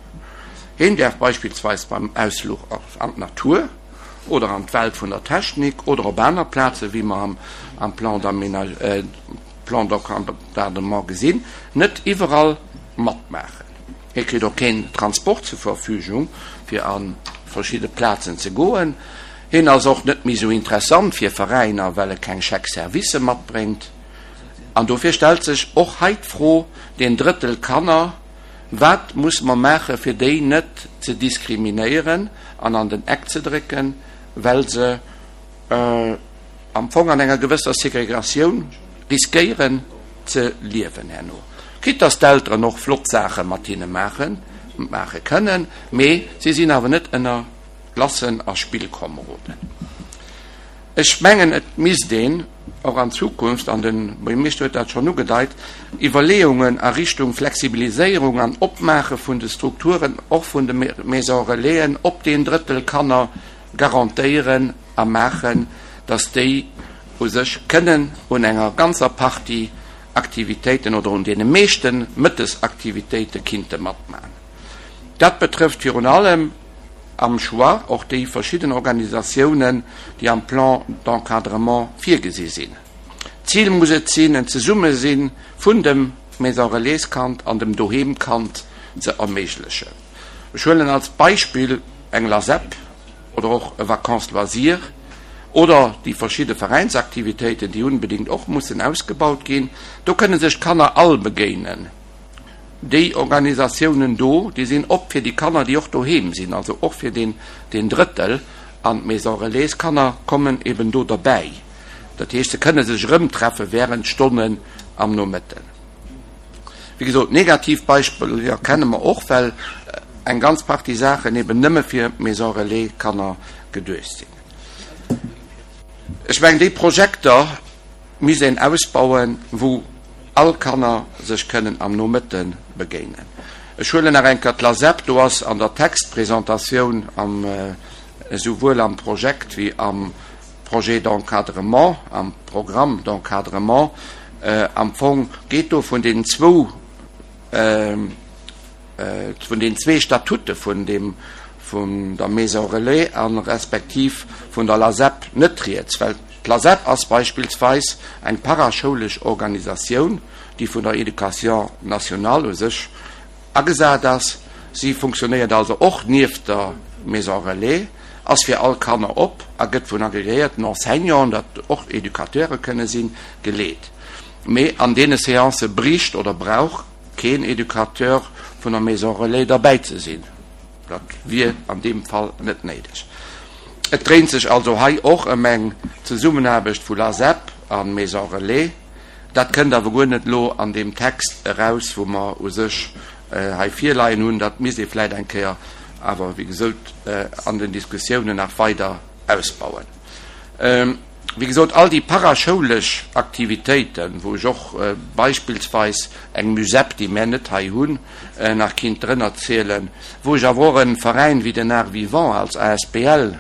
Heen däerf beispillsweis beim Ausfluch an d'Natur oder an d'Welt vun der Technik oder op aner Plazen, wéi mer am Plan d'encadrement gesinn, net iwwerall matmaachen. Hie kritt och keen Transport zur Verfügung, fir a verschidde Plazen ze goen. Hien ass och net méi sou interessant fir Veräiner, well e keng Chèque-servicë matbréngt. An dofir stellt sech och hei d'Fro, deen Drëttel Kanner, wat musse mer maache fir déi net ze diskriminéieren an an den Eck ze drécken, well se am Fong an enger gewësser Segregatioun riskéieren ze liewen herno. Quitte dass d'Elteren och flott Saache mat hinne maachen. maache kënnen, mee si sinn awer net ënner Klassen a Spillkomeroden. Ech mengen, et misst een och an Zukunft, an de Buergermeeschter huet dat schonn ugedeit, Iwwerleeungen a Richtung Flexibiliséierung an Opmaache vun de Strukturen, och vun de Maisons Relaisen, op deen Drëttel Kanner garantéieren a maachen, dass déi u sech kënnen un enger ganzer Partie Aktivitéiten oder un deene meeschte Mëttesaktivitéite kinnte matmachen. Dat betrëfft virun allem am Choix och déi verschidden Organisatiounen, déi am Plan d'encadrement virgesi sinn. D'Zil muss et sinn, en Zesummesinn vun dem Maison Relais-Kand an dem Doheem-Kand ze erméiglechen. Ech huelen als Beispill eng LASEP oder och e Vacances loisirs oder déi verschidde Veräinsaktivitéiten, déi unbedéngt och mussen ausgebaut ginn. Do kënne sech d'Kanner all begéinen. Déi Organisatiounen do, déi sinn op fir déi Kanner, déi och doheem sinn, also och fir deen, deen Drëttel. An d'Maison Relais Kanner kommen eben do derbäi. Dat heescht, se kënne sech erëmtreffe während Stonnen am Nomëtten. Wéi gesot, negativ Beispiller kenne mer och, well eng ganz Partie Saachen eben nëmme fir Maison Relais Kanner geduecht sinn. Ech mengen, déi Projekter, misst een ausbauen, wou all Kanner sech kënnen am Nomëtte begéinen. Ech huelen nach eng Kéier d'LASEP, do ass an der Textpresentatioun am, esouwuel am Projekt wéi am Projet d'encadrement, am Programme d'encadrement, am Fong geet do vun deenen zwou, vun den zwee Statute vun deem, vun der Maison Relais a respektiv vun der LASEP net rieds, well d'LASEP ass beispillsweis eng paraschoulesch Organisatioun, déi vun der Éducation nationale u sech agesat ass. Si funktionéiert also och nieft der Maison Relais, ass fir all Kanner op a gëtt vun agreéierten Enseignanten, dat och Educateure kënne sinn, geleet. Mee an deene Seancë bricht oder brauch keen Educateur vun der Maison Relais derbäi ze sinn. Dat wier an deem Fall net néideg. Et dréint sech also hei och ëm eng Zesummenaarbecht vu LASEP a Maison Relais. Dat kënnt awer guer net elo an deem Text eraus, wou mer u sech hei virleien hunn. Dat misst ee vläicht eng Kéier awer, wéi gesot, an den Diskussiounen nach weider ausbauen. Wéi gesot, all déi paraschoulesch Aktivitéiten, wou ech och beispillsweis eng Musep, déi mär net hei hunn, nach kinnt drënner zielen, wou ech awer och e Veräin wéi den Art Vivant als asbl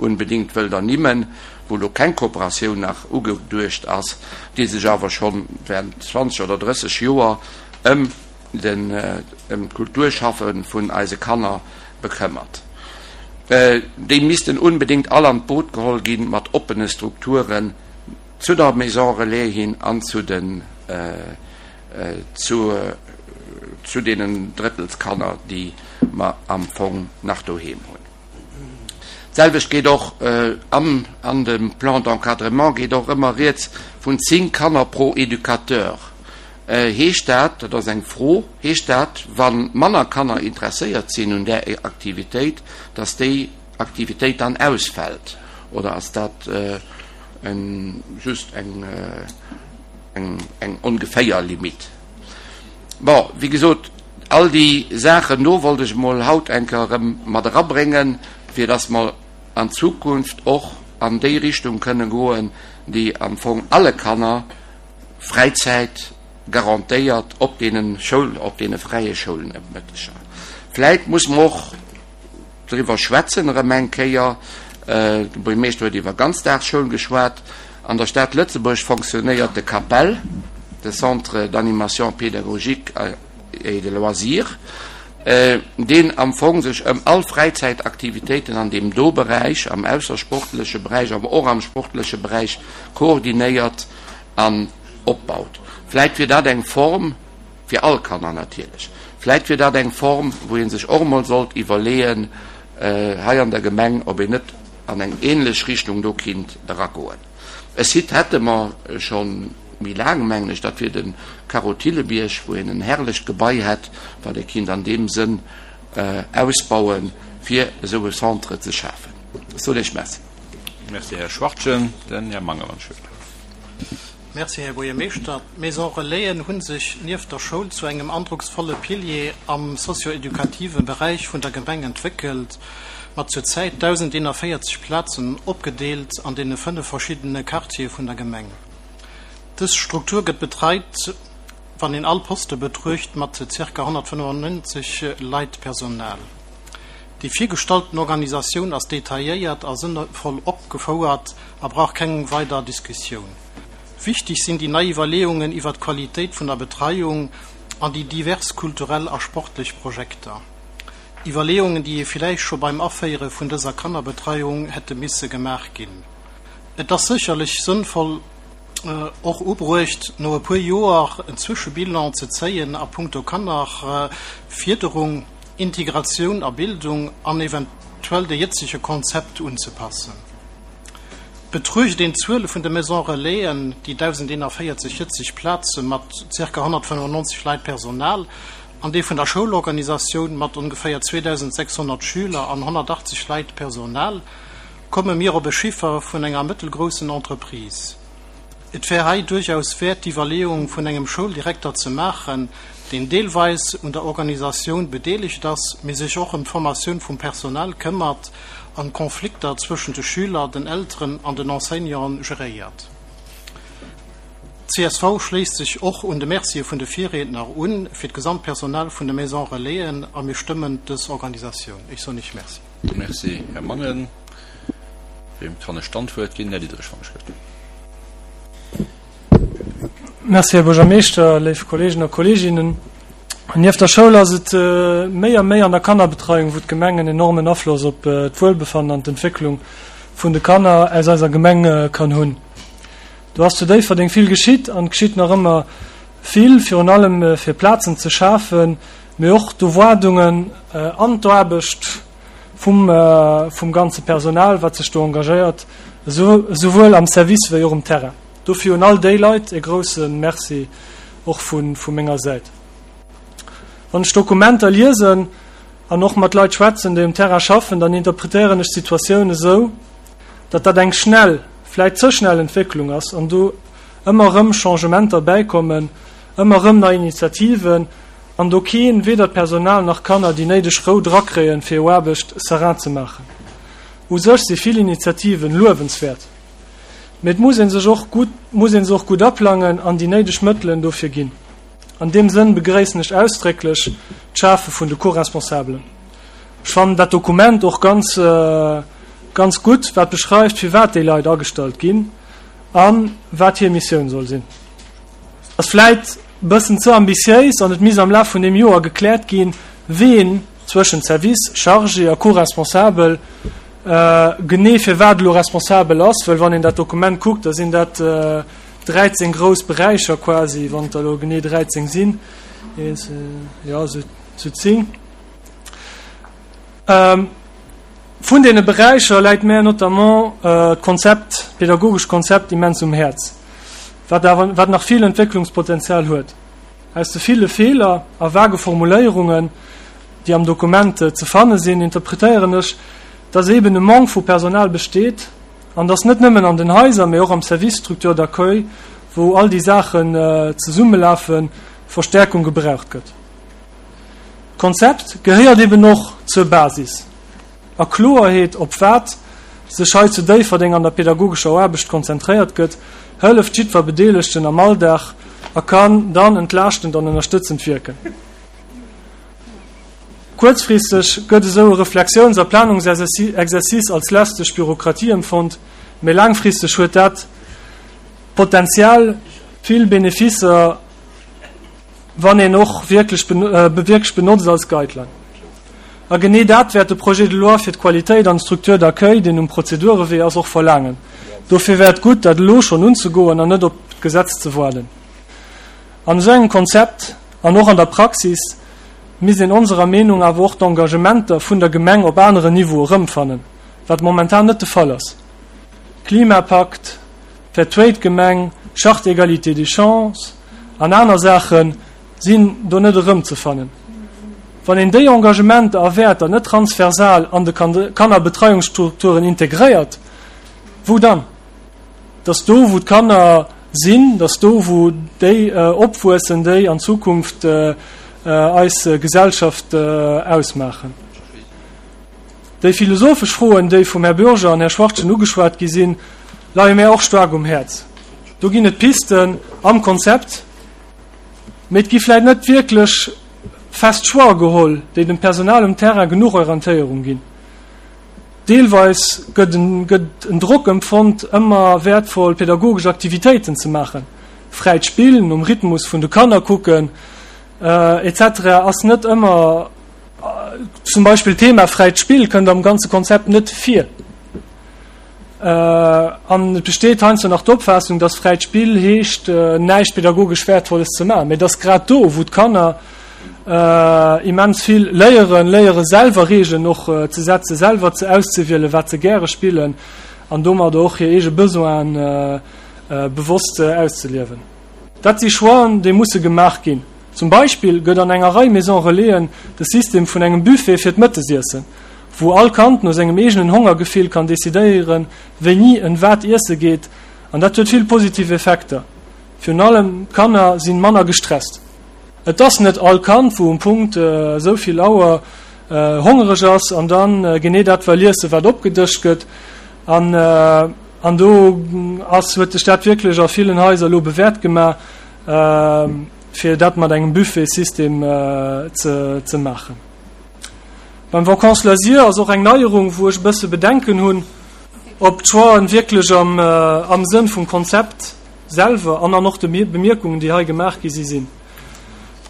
unbedingt wëllt ernimmen, wou elo keng Kooperatioun nach ugeduecht ass, déi sech awer scho während 20 oder 30 Joer ëm den ëm d'Kulturschaffe vun eise Kanner bekëmmert. Déi missten unbedéngt all an d'Boot geholl ginn, mat oppene Strukturen zu der Maison Relais hin an zu den zu zu deenen Drëttelskanner, déi mer am Fong nach doheem hunn. D'selwecht geet och am an dem Plan d'encadrement geet och ëmmer rieds vun 10 Kanner pro Educateur. Heescht dat, dat ass eng Fro, heescht dat, wa manner Kanner interesséiert sinn un där Aktivitéit, datt déi Aktivitéit dann ausfält? Oder ass dat just eng ongeféier Limite? Bon, wéi gesot, all déi Saachen do wollt ech emol haut eng Kéier erëm mat erabréngen, fir datt mer an Zukunft och an déi Richtung kënne goen, déi am Fong alle Kanner Fräizäit garantéiert op deene Schoul, op deene fräie Schoulnëmëtteger. Vläit muss mer och driwwer schwätzen erëm eng Kéier, de Buergermeeschter huet iwwer Ganzdagsschoul geschwat, an der Stad Lëtzebuerg fonctionnéiert de CAPEL, de Centre d'animation pédagogique et de loisirs, deen am Fong sech ëm all Fräizäitaktivitéiten an deem do Beräich, am aussersportleche Beräich, awer och am sportleche Beräich koordinéiert an opbaut. Vläit wier dat eng Form, fir all Kanner natierlech, vläit wier dat eng Form, wou ee sech och emol sollt iwwerleeën hei an der Gemeng, ob een net an eng ähnlech Richtung do kinnt eragoen. E Site hätte mer scho méi laang, mengen ech, dat wier de Carreau Thillebierg, wou een en herrlecht Gebai hätt, wat ee kinnt an deem Sënn ausbauen, fir esou e Centre ze schafen. Ech soen Iech Merci. Merci, Här Schwachtgen. Den Här Mangemann schuet. Merci, Här Buergermeeschter. D'Maison Relaisen hu sech nieft der Schoul zu engem androcksvolle Pilier am socio-educative Beräich vun der Gemeng entwéckelt, mat zur Zäit 1.041 Plazen, opgedeelt an deene 5 verschiddene Quartiere vun der Gemeng. Dës Struktur gëtt betreit, wann een all Poste betruecht, mat zirka 195 Leit Personal. Déi virgestallten Organisatioun ass detailléiert a sënnvoll opgefouert a brauch keng weider Diskussioun. Wichteg sinn déi nei Iwwerleeungen iwwer d'Qualitéit vun der Betreiung an déi divers kulturell a sportlech Projekter. Iwwerleeungen, déi ee villäicht scho beim Aféiere vun dëser Kannerbetreiung hätte misse gemaach ginn. Et ass sécherlech sënnvoll, och ubruecht, no e puer Joer en Zwëschebilan ze zéien a puncto Kannerfierderung, Integratioun a Bildung an eventuell de jëtzege Konzept unzepassen. Betruecht een d'Zuele vun de Maisons Relaisen, déi 1.041 jëtzeg Plaze mat zirka 195 Leit Personal, an déi vun der Schoulorganisatioun mat ongeféier 2.600 Schüler an 180 Leit Personal, komme mir op e Chiffer vun enger mëttelgroussen Entreprise. Et wär hei duerchaus wäert d'Iwwerleeung vun engem Schouldirekter ze maachen, deen deelweis un der Organisatioun bedeelegt ass, mee sech och ëm d'Formatioun vum Personal këmmert an d'Konflikter zwëschent de Schüler, den Elteren an den Enseignanten geréiert. Csv schléisst sech och un de Mercie vun de Virriedner un fir d'gesamt Personal vun de Maisons Relaisen a mir stëmmen dës Organisatioun. Ech soen Iech Merci. Merci, Här Mangen. Weem kann ech dann d'Wuert ginn? Här Diderich, wann ech gëtt. Merci, Här Buergermeeschter, léif Kolleegen a Kolleeginnen. Nieft der Schoul ass et méi a méi an der Kannerbetreiung, wou d'Gemeng en enormen Afloss op d'Wuelbefannen an d'Entwécklung vun de Kanner aus eiser Gemeng kann hunn. Do ass zu Déifferdeng vill geschitt an geschitt nach ëmmer vill, virun allem fir Plazen ze schafen, mee och d'Erwaardungen an d'Aarbecht vum vum ganze Personal, wat sech do engagéiert, esouwuel am Service wéi och um Terrain. Dofir un all déi Leit e grouse Merci och vu vu menger Säit. Wann ech Dokumenter liesen an och mat Leit schwätzen, déi um Terrain schaffen, dann interpretéieren ech d'Situatioun esou, datt dat eng schnell, vläit ze schnell Entwécklung ass an do ëmmer erëm Changementer bäikommen, ëmmer erëm nei Initiativen, an do keen, weder d'Personal nach d'Kanner, déi néideg Rou drakréien, fir hir Aarbecht serein ze maachen. U sech si vill Initiativen luewenswäert, mee et muss ee sech och gutt, muss ee se och gutt aplangen an déi néideg Mëttelen dofir ginn. An deem Sënn begréissen ech ausdrécklech d'Schafe vun de Co-Responsabelen. Ech fannen dat Dokument och ganz, ganz gutt, wat beschreift, firwat déi Leit agestallt ginn a wat hir Missioun soll sinn. Ass vläit bëssen ze ambitiéis an et misst am Laf vun deem Joer gekläert ginn, ween zwëschent Service chargé a Co-responsabel genee fir wat elo responsabel ass, well wann een dat Dokument kuckt, da sinn dat 13 grouss Beräicher quasi, wann et der elo genee 13 sinn, jo esou 10. Vun deene Beräicher läit mär notamment d'Konzept, d'pädagogescht Konzept immens um Häerz, wat awer, wat nach vill Entwécklungspotenzial huet. Aus de ville Feeler a vage Formuléierungen, déi am Dokument ze fanne sinn, interpretéieren ech, dass eeben e Manque vu Personal besteet an dass net nëmmen an den Haiser, mee och am Service Structure d'accueil, wou all déi Saachen zesummelafen, Verstärkung gebraucht gëtt. D'Konzept gehéiert eben och zur Basis a Kloerheet, op wat sech hei zu Déifferdeng an der pedagogescher Aarbecht konzentréiert gëtt, hëlleft jiddwer Bedeelegten am Alldag a kann dann entlaaschtend an ënnerstëtzend wierken. Kuerzfristeg gëtt esou e Reflexiouns a Planungsexercice als lästeg Bürokratie empfonnt, mee laangfristeg huet dat d'Potenzial, vill Beneficer wann een och wierklech wierklech benotzt als Guideline. A genee dat wäert de Projet de loi fir d'Qualitéit an d'Structure d'accueil, deen um Prozedurewee ass, och verlaangen. Dofir wär et gutt, dat elo schonn unzegoen an net op d'Gesetz ze waarden. An esou engem Konzept an och an der Praxis misst een onserer Meenung awer och d'Engagementer vun der Gemeng op aneren Niveaue erëmfannen, wat momentan net de Fall ass. Klimapakt, Fair Trade Gemeng, Charte égalité des chances an aner Saache sinn do net erëmzefannen. Wann een déi Engagementer a Wäerter net transversal an de Kannerbetreiungsstrukturen integréiert, wou dann? Dass do, wou d'Kanner. sinn, dass do wou déi opwuessen, déi an Zukunft eis Gesellschaft ausmaachen. Déi philosophesch Froen, déi vum Här Bürger an Här Schwachtgen ugeschwat gi sinn, leie mär och staark um Häerz. Do ginn et Pisten am Konzept, mee et gi vläit net wierklech fest Choixë geholl, déi dem Personal um Terrain genuch Orientéierung ginn. Deelweis gëtt en Drock empfonnt, ëmmer wäertvoll pädagogesch Aktivitéiten ze maachen, fräit Spill, nom Rhythmus vun de Kanner kucken, etc. Ass net ëmmer. Zum Beispill d'Thema fräit Spill kënnt am ganze Konzept net vir. An et besteet heiansdo nach d'Opfaassung, dass fräit Spill heescht, näischt pädagogesch Wäertvolles ze maachen. Mee et ass grad do, wou d'Kanner immens vill léieren, léiere selwer Reegelen och ze setzen, selwer ze auszewielen, wat se gäre spillen an domadder och hir eege Besoinen bewosst auszeliewen. Dat si Choixen, déi musse gemaach ginn. Zum Beispill gëtt an enger Rei Maison Relaisen de System vun engem Buffet fir d'Mëttesiessen, wou all Kand no sengem eegenen Hongergefill kann decidéieren, wéini en wat iesse geet, an dat huet vill positiv Effekter. Virun allem d'Kanner sinn manner gestresst. Et ass net all Kand, wou um Punkt esou vill Auer hongereg ass an dann genee dat well iessen, wat opgedëscht gëtt. An an do ass huet sech dat wierklech a villen Haiser elo bewäert gemaach. Fir dat mat engem Buffetsystem ze maachen. Beim Vacances loisirs ass och eng Neierung, wou ech e bësse Bedenken hunn, ob d'Choixen wierklech am Sënn vum Konzept selwer an an och de Bemierkungen, déi hei gemaach gi si sinn.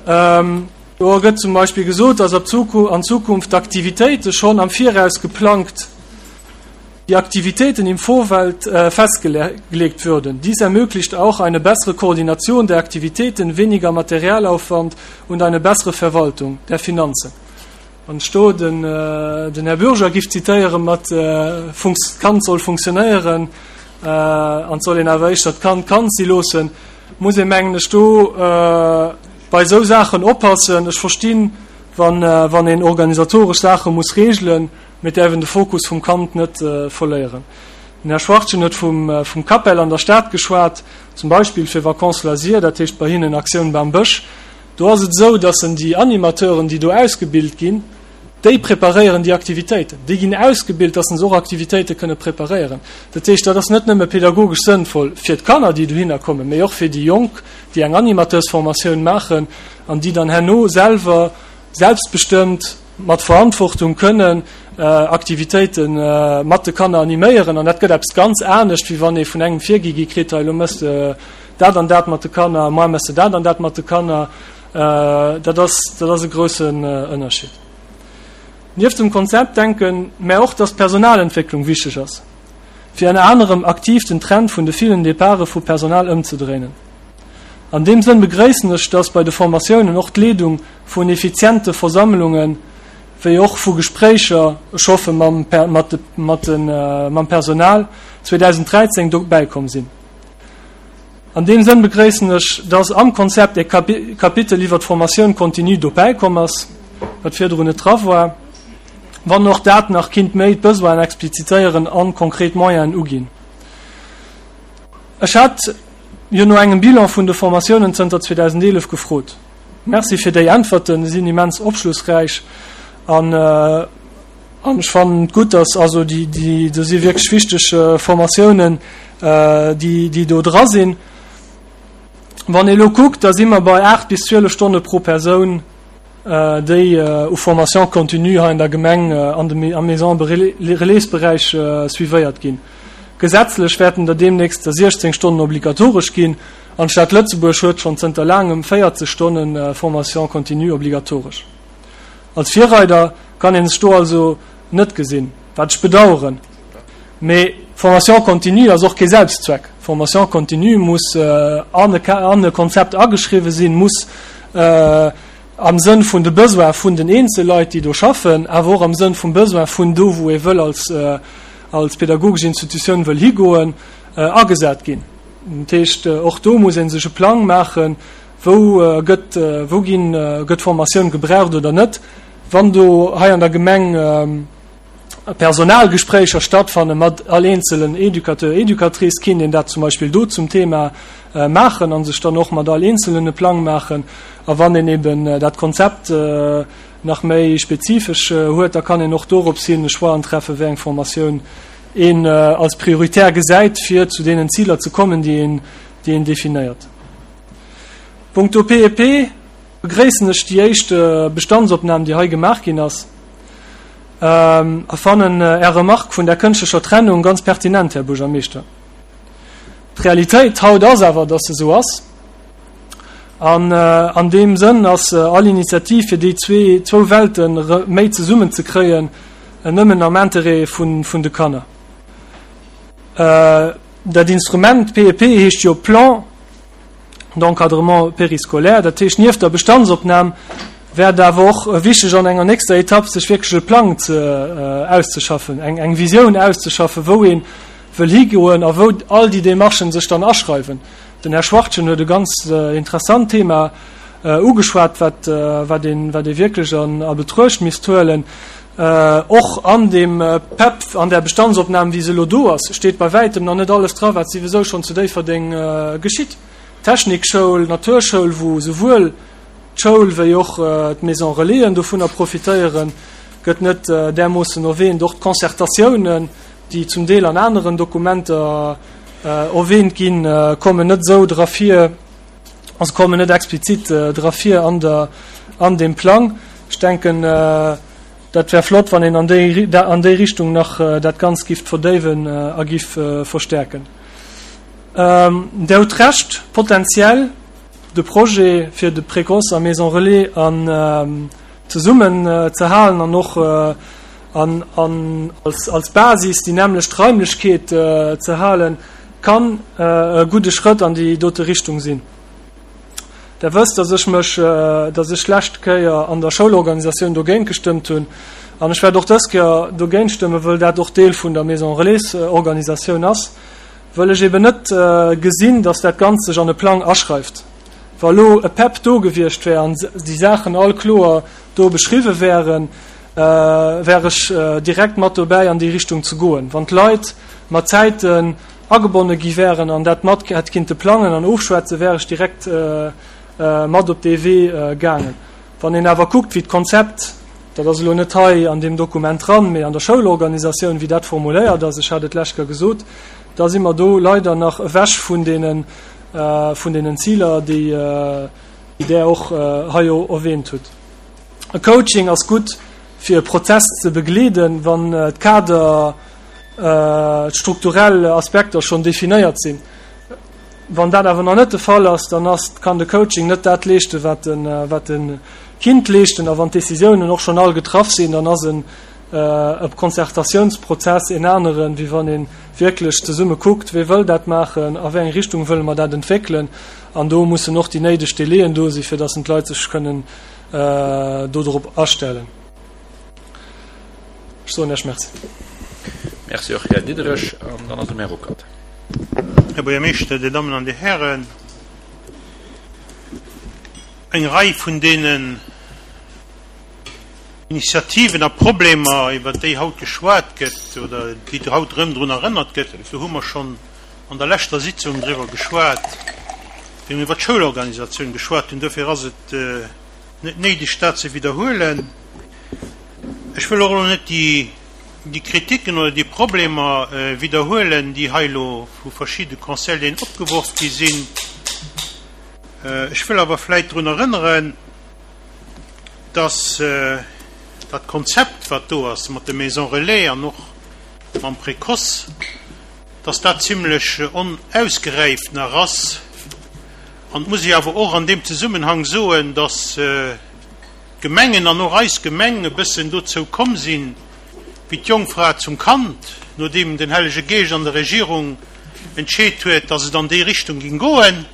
Do gëtt zum Beispill gesot, dass an Zukunft d'Aktivitéite schonn am Viraus geplangt die Aktivitäten im Vorfeld äh, festgelegt würden. Dies ermöglicht auch eine bessere Koordination der Aktivitäten, weniger Materialaufwand und eine bessere Verwaltung der Finanzen. Wann ech do den, äh, den Här Bürger giff zitéiere mat äh, Funks d'Kand soll funktionéieren äh, an et soll een awer éischter d'Kand Kand si loossen, muss ee mengen ech do äh, bei esou Saachen oppassen. Ech verstinn, wann, äh, wann een organisatoresch Saache muss regelen, Mir däerfen de Fokus vum Kand net verléieren. Den Här Schwachtgen huet vum CAPEL an der Stad geschwat, zum Beispill fir Vacances loisirs, dat heescht bei hinnen Aktioun Bam Bësch. Do ass et esou, dass en déi Animateuren, déi do ausgebilt ginn, déi preparéieren déi Aktivitéiten. Déi ginn ausgebilt, dass se och Aktivitéite kënne preparéieren. Dat heescht, dat ass net nëmme pedagogesch sënnvoll fir d'Kanner, déi dohinner kommen, mee och fir déi Jonk, déi eng Animateursformatioun maachen an déi dann herno selwer selbstbestëmmt mat Verantwortung kënnen Aktivitéite mat de Kanner animéieren an dat gëtt eppes ganz anescht, wéi wann ee vun engem virgi gi kritt, hei elo mëss de dat an dat mat de Kanner, moar mëss de dat an dat mat de Kanner. Dat ass, dat ass e groussen Ënnerscheed. Nieft dem Konzept denke mär och, dass d'Personalentwécklung wichteg ass, fir ënner anerem aktiv den Trend vun de villen Departe vu Personal ëmzedréinen. An deem Sënn begréissen ech, dass bei de Formatiounen och d'Leedung vun effiziente Versammlungen, wéi och vu Gespréicher, ech hoffe mam mam Personal, 2013 dobäi komm sinn. An deem Sënn begréissen ech, dass am Konzept e Kapitel iwwer d'Formatioun continue dobäi komm ass, wat virdrun net dra war, wann och dat nach kinnt méi d'Besoinen explizitéieren an konkret Moyenen uginn. Ech hat jo no engem Bilan vun de Formatiounen zënter 2011 gefrot. Merci fir déi Äntwerten, se sinn immens opschlussräich an an ech fannen et gutt, dass also déi déi do si wierklech wichteg Formatiounen, déi déi do dra sinn. Wann ee elo kuckt, da si mer bei 8 bis 12 Stonne pro Persoun, déi u Formation continue hei an der Gemeng an dem am Maison Relaisberäich suivéiert ginn. Gesetzlech wäerten der deemnächst der 16 Stonnen obligatoresch ginn an d'Stad Lëtzebuerg huet schonn zënter laangem 40 Stonne Formation continue obligatoresch. Als Virreider kann ee sech do also net gesinn, wat ech bedaueren. Mee Formation continue ass och kee Selbstzweck. Formation continue muss an e Konzept ageschriwwen sinn, muss am Sënn vun de Besoin vun den Eenzelleit, déi do schaffen, awer och am Sënn vum Besoin vun do, wou ee wëll als als pedagogesch Institutioun wëll higoen, agesat ginn. Dat heescht, och do muss ee sech e Plang maachen, wou gëtt, wou ginn, gëtt Formatioun gebraucht oder net. Wann do hei an der Gemeng. Personalgespréicher stattfanne mat all eenzelen Educateur, Educatrice, kinnt een dat zum Beispill do zum Thema maachen a sech dann och mat all eenzelen e Plang maachen. A wann een eben dat Konzept nach méi spezifesch huet, da kann een och dorops hin e Choixen treffen, wéi eng Formatioun een als prioritär gesäit, fir zu deenen Ziler ze kommen, déi een, déi een definéiert. Punkto PEP begréissen ech déi éischt Bestandsopnam, déi hei gemaach ginn ass, a fannen Är Remarque vun der kënschtlecher Trennung ganz pertinent, Här Buergermeeschter. D'Realitéit haut ass awer, dass se esou ass. An an deem Sënn ass all Initiativ, fir déi zwee, zwou Welten méi zesummen ze kréien, nëmmen am Interêt vun, vun de Kanner. Dat Instrument PEP heescht jo Plan d'encadrement périscolaire. Dat heescht, nieft der Bestandsopnam wär et awer och wichteg, an enger nächster Etapp sech wierklech e Plang ze, auszeschaffen, eng, eng Visioun auszeschaffen, wou ee wëll higoen a wou all déi Démarchen sech dann aschreiwen. Den Här Schwachtgen huet e ganz interessant Thema ugeschwat, wat, wat een, wat ee wierklech an, a Betruecht misst huelen. Och an deem PEP, an där Bestandsopnam, wéi se elo do ass, steet bei wäitem nach net alles dra, wat siwesou schonn zu Déifferdeng geschitt. D'Technikschoul, d'Naturschoul, wou souwuel d'Schoul wéi och d'Maison Relaisen dovunner profitéieren, gëtt net därmoossen erwähnt. Och d'Concertatiounen, déi zum Deel an aneren Dokumenter erwähnt ginn, kommen net esou dra vir, also kommen net explizit dra vir an der, an deem Plang. Ech denken, dat wär flott, wann een an déi, an déi Richtung nach dat Ganzt giff verdéiwen a giff verstärken. Där hutt Recht, potenziell de Projet fir de Précoce a Maison Relais an zesummen ze halen an och an an als als Basis déi nämmlecht Raimlechkeet ze halen, kann e gudde Schrëtt an déi dote Richtung sinn. Der wësst, dass ech mech, dass ech d'lescht Kéier an der Schoulorganisatioun dogéint gestëmmt hunn an ech wäert och dës Kéier dogéint stëmmen, wëll dat och Deel vun der Maison Relais Organisatioun ass, wëll ech eben net gesinn, dass dat Ganzt sech an e Plang aschreift. Wa lo e PEP do gewiescht wär an déi Saachen all kloer do beschriwwe wären, wär ech direkt mat dobäi an déi Richtung ze goen. Wann d'Leit mat Zäiten agebonne gi wären an dat mat hätt kinnte plangen an ofschwätzen, wär ech direkt mat op dee Wee gaangen. Wann een awer kuckt, wéi d'Konzept, dat ass elo net hei an deem Dokument dran, mee an der Schoulorganisatioun, wéi dat formuléiert ass, ech hat et d'lescht Kéier gesot, da si mer do leider nach ewech vun deenen, vun deenen Ziler, déi Der och hei erwähnt hutt. E Coaching ass gutt, fir e Prozess ze begleeden, wann d'Kader, d'strukturell Aspekter schonn definéiert sinn. Wann dat awer nach net de Fall ass, dann ass, kann de Coaching net dat leeschten, wat e, wat e kinnt leeschten. A wann d'Décisiounen och schonn all getraff sinn, dann ass en e Concertatiounsprozess en aneren, wéi wann ee wierklech zesumme kuckt, Wee wëll dat maachen, a wéi eng Richtung wëlle mer dat entwéckelen? An do mussen och déi néideg Délaiën do sinn, fir datt d'Leit sech kënnen dodrop astellen. Ech soen Iech Merci. Merci och, Här Diderich. An dann ass et dem Här Ruckert. Här Buergermeeschter, Dir Dammen an Dir Hären, eng Rei vun deenen Initiativen a Problemer, iwwert déi haut geschwat gëtt oder déi haut erëm drun erënnert gëtt, do hu mer schonn an der leschter Sitzung driwwer geschwat, wéi mir iwwert d'Schoulorganisatioun geschwat hunn. Dofir ass et net néideg, dat ze widderhuelen. Ech wëll och elo net déi Kritiken oder déi Problemer widderhuelen, déi hei elo vu verschidde Conseilleren opgeworf gi sinn. Ech wëll awer vläicht drun erënneren, dass dat Konzept, wat do ass mat de Maisons relais an och mam Précoce, dass dat zimlech onausgeräift nach ass. An et muss ee awer och an deem Zesummenhang soen, dass d'Gemengen an och eis Gemeng e bëssen dozou komm sinn, wéi d'Jongfra zum Kand, nodeem den Hellege Geescht an der Regierung entscheet huet, dass et an déi Richtung ging goen,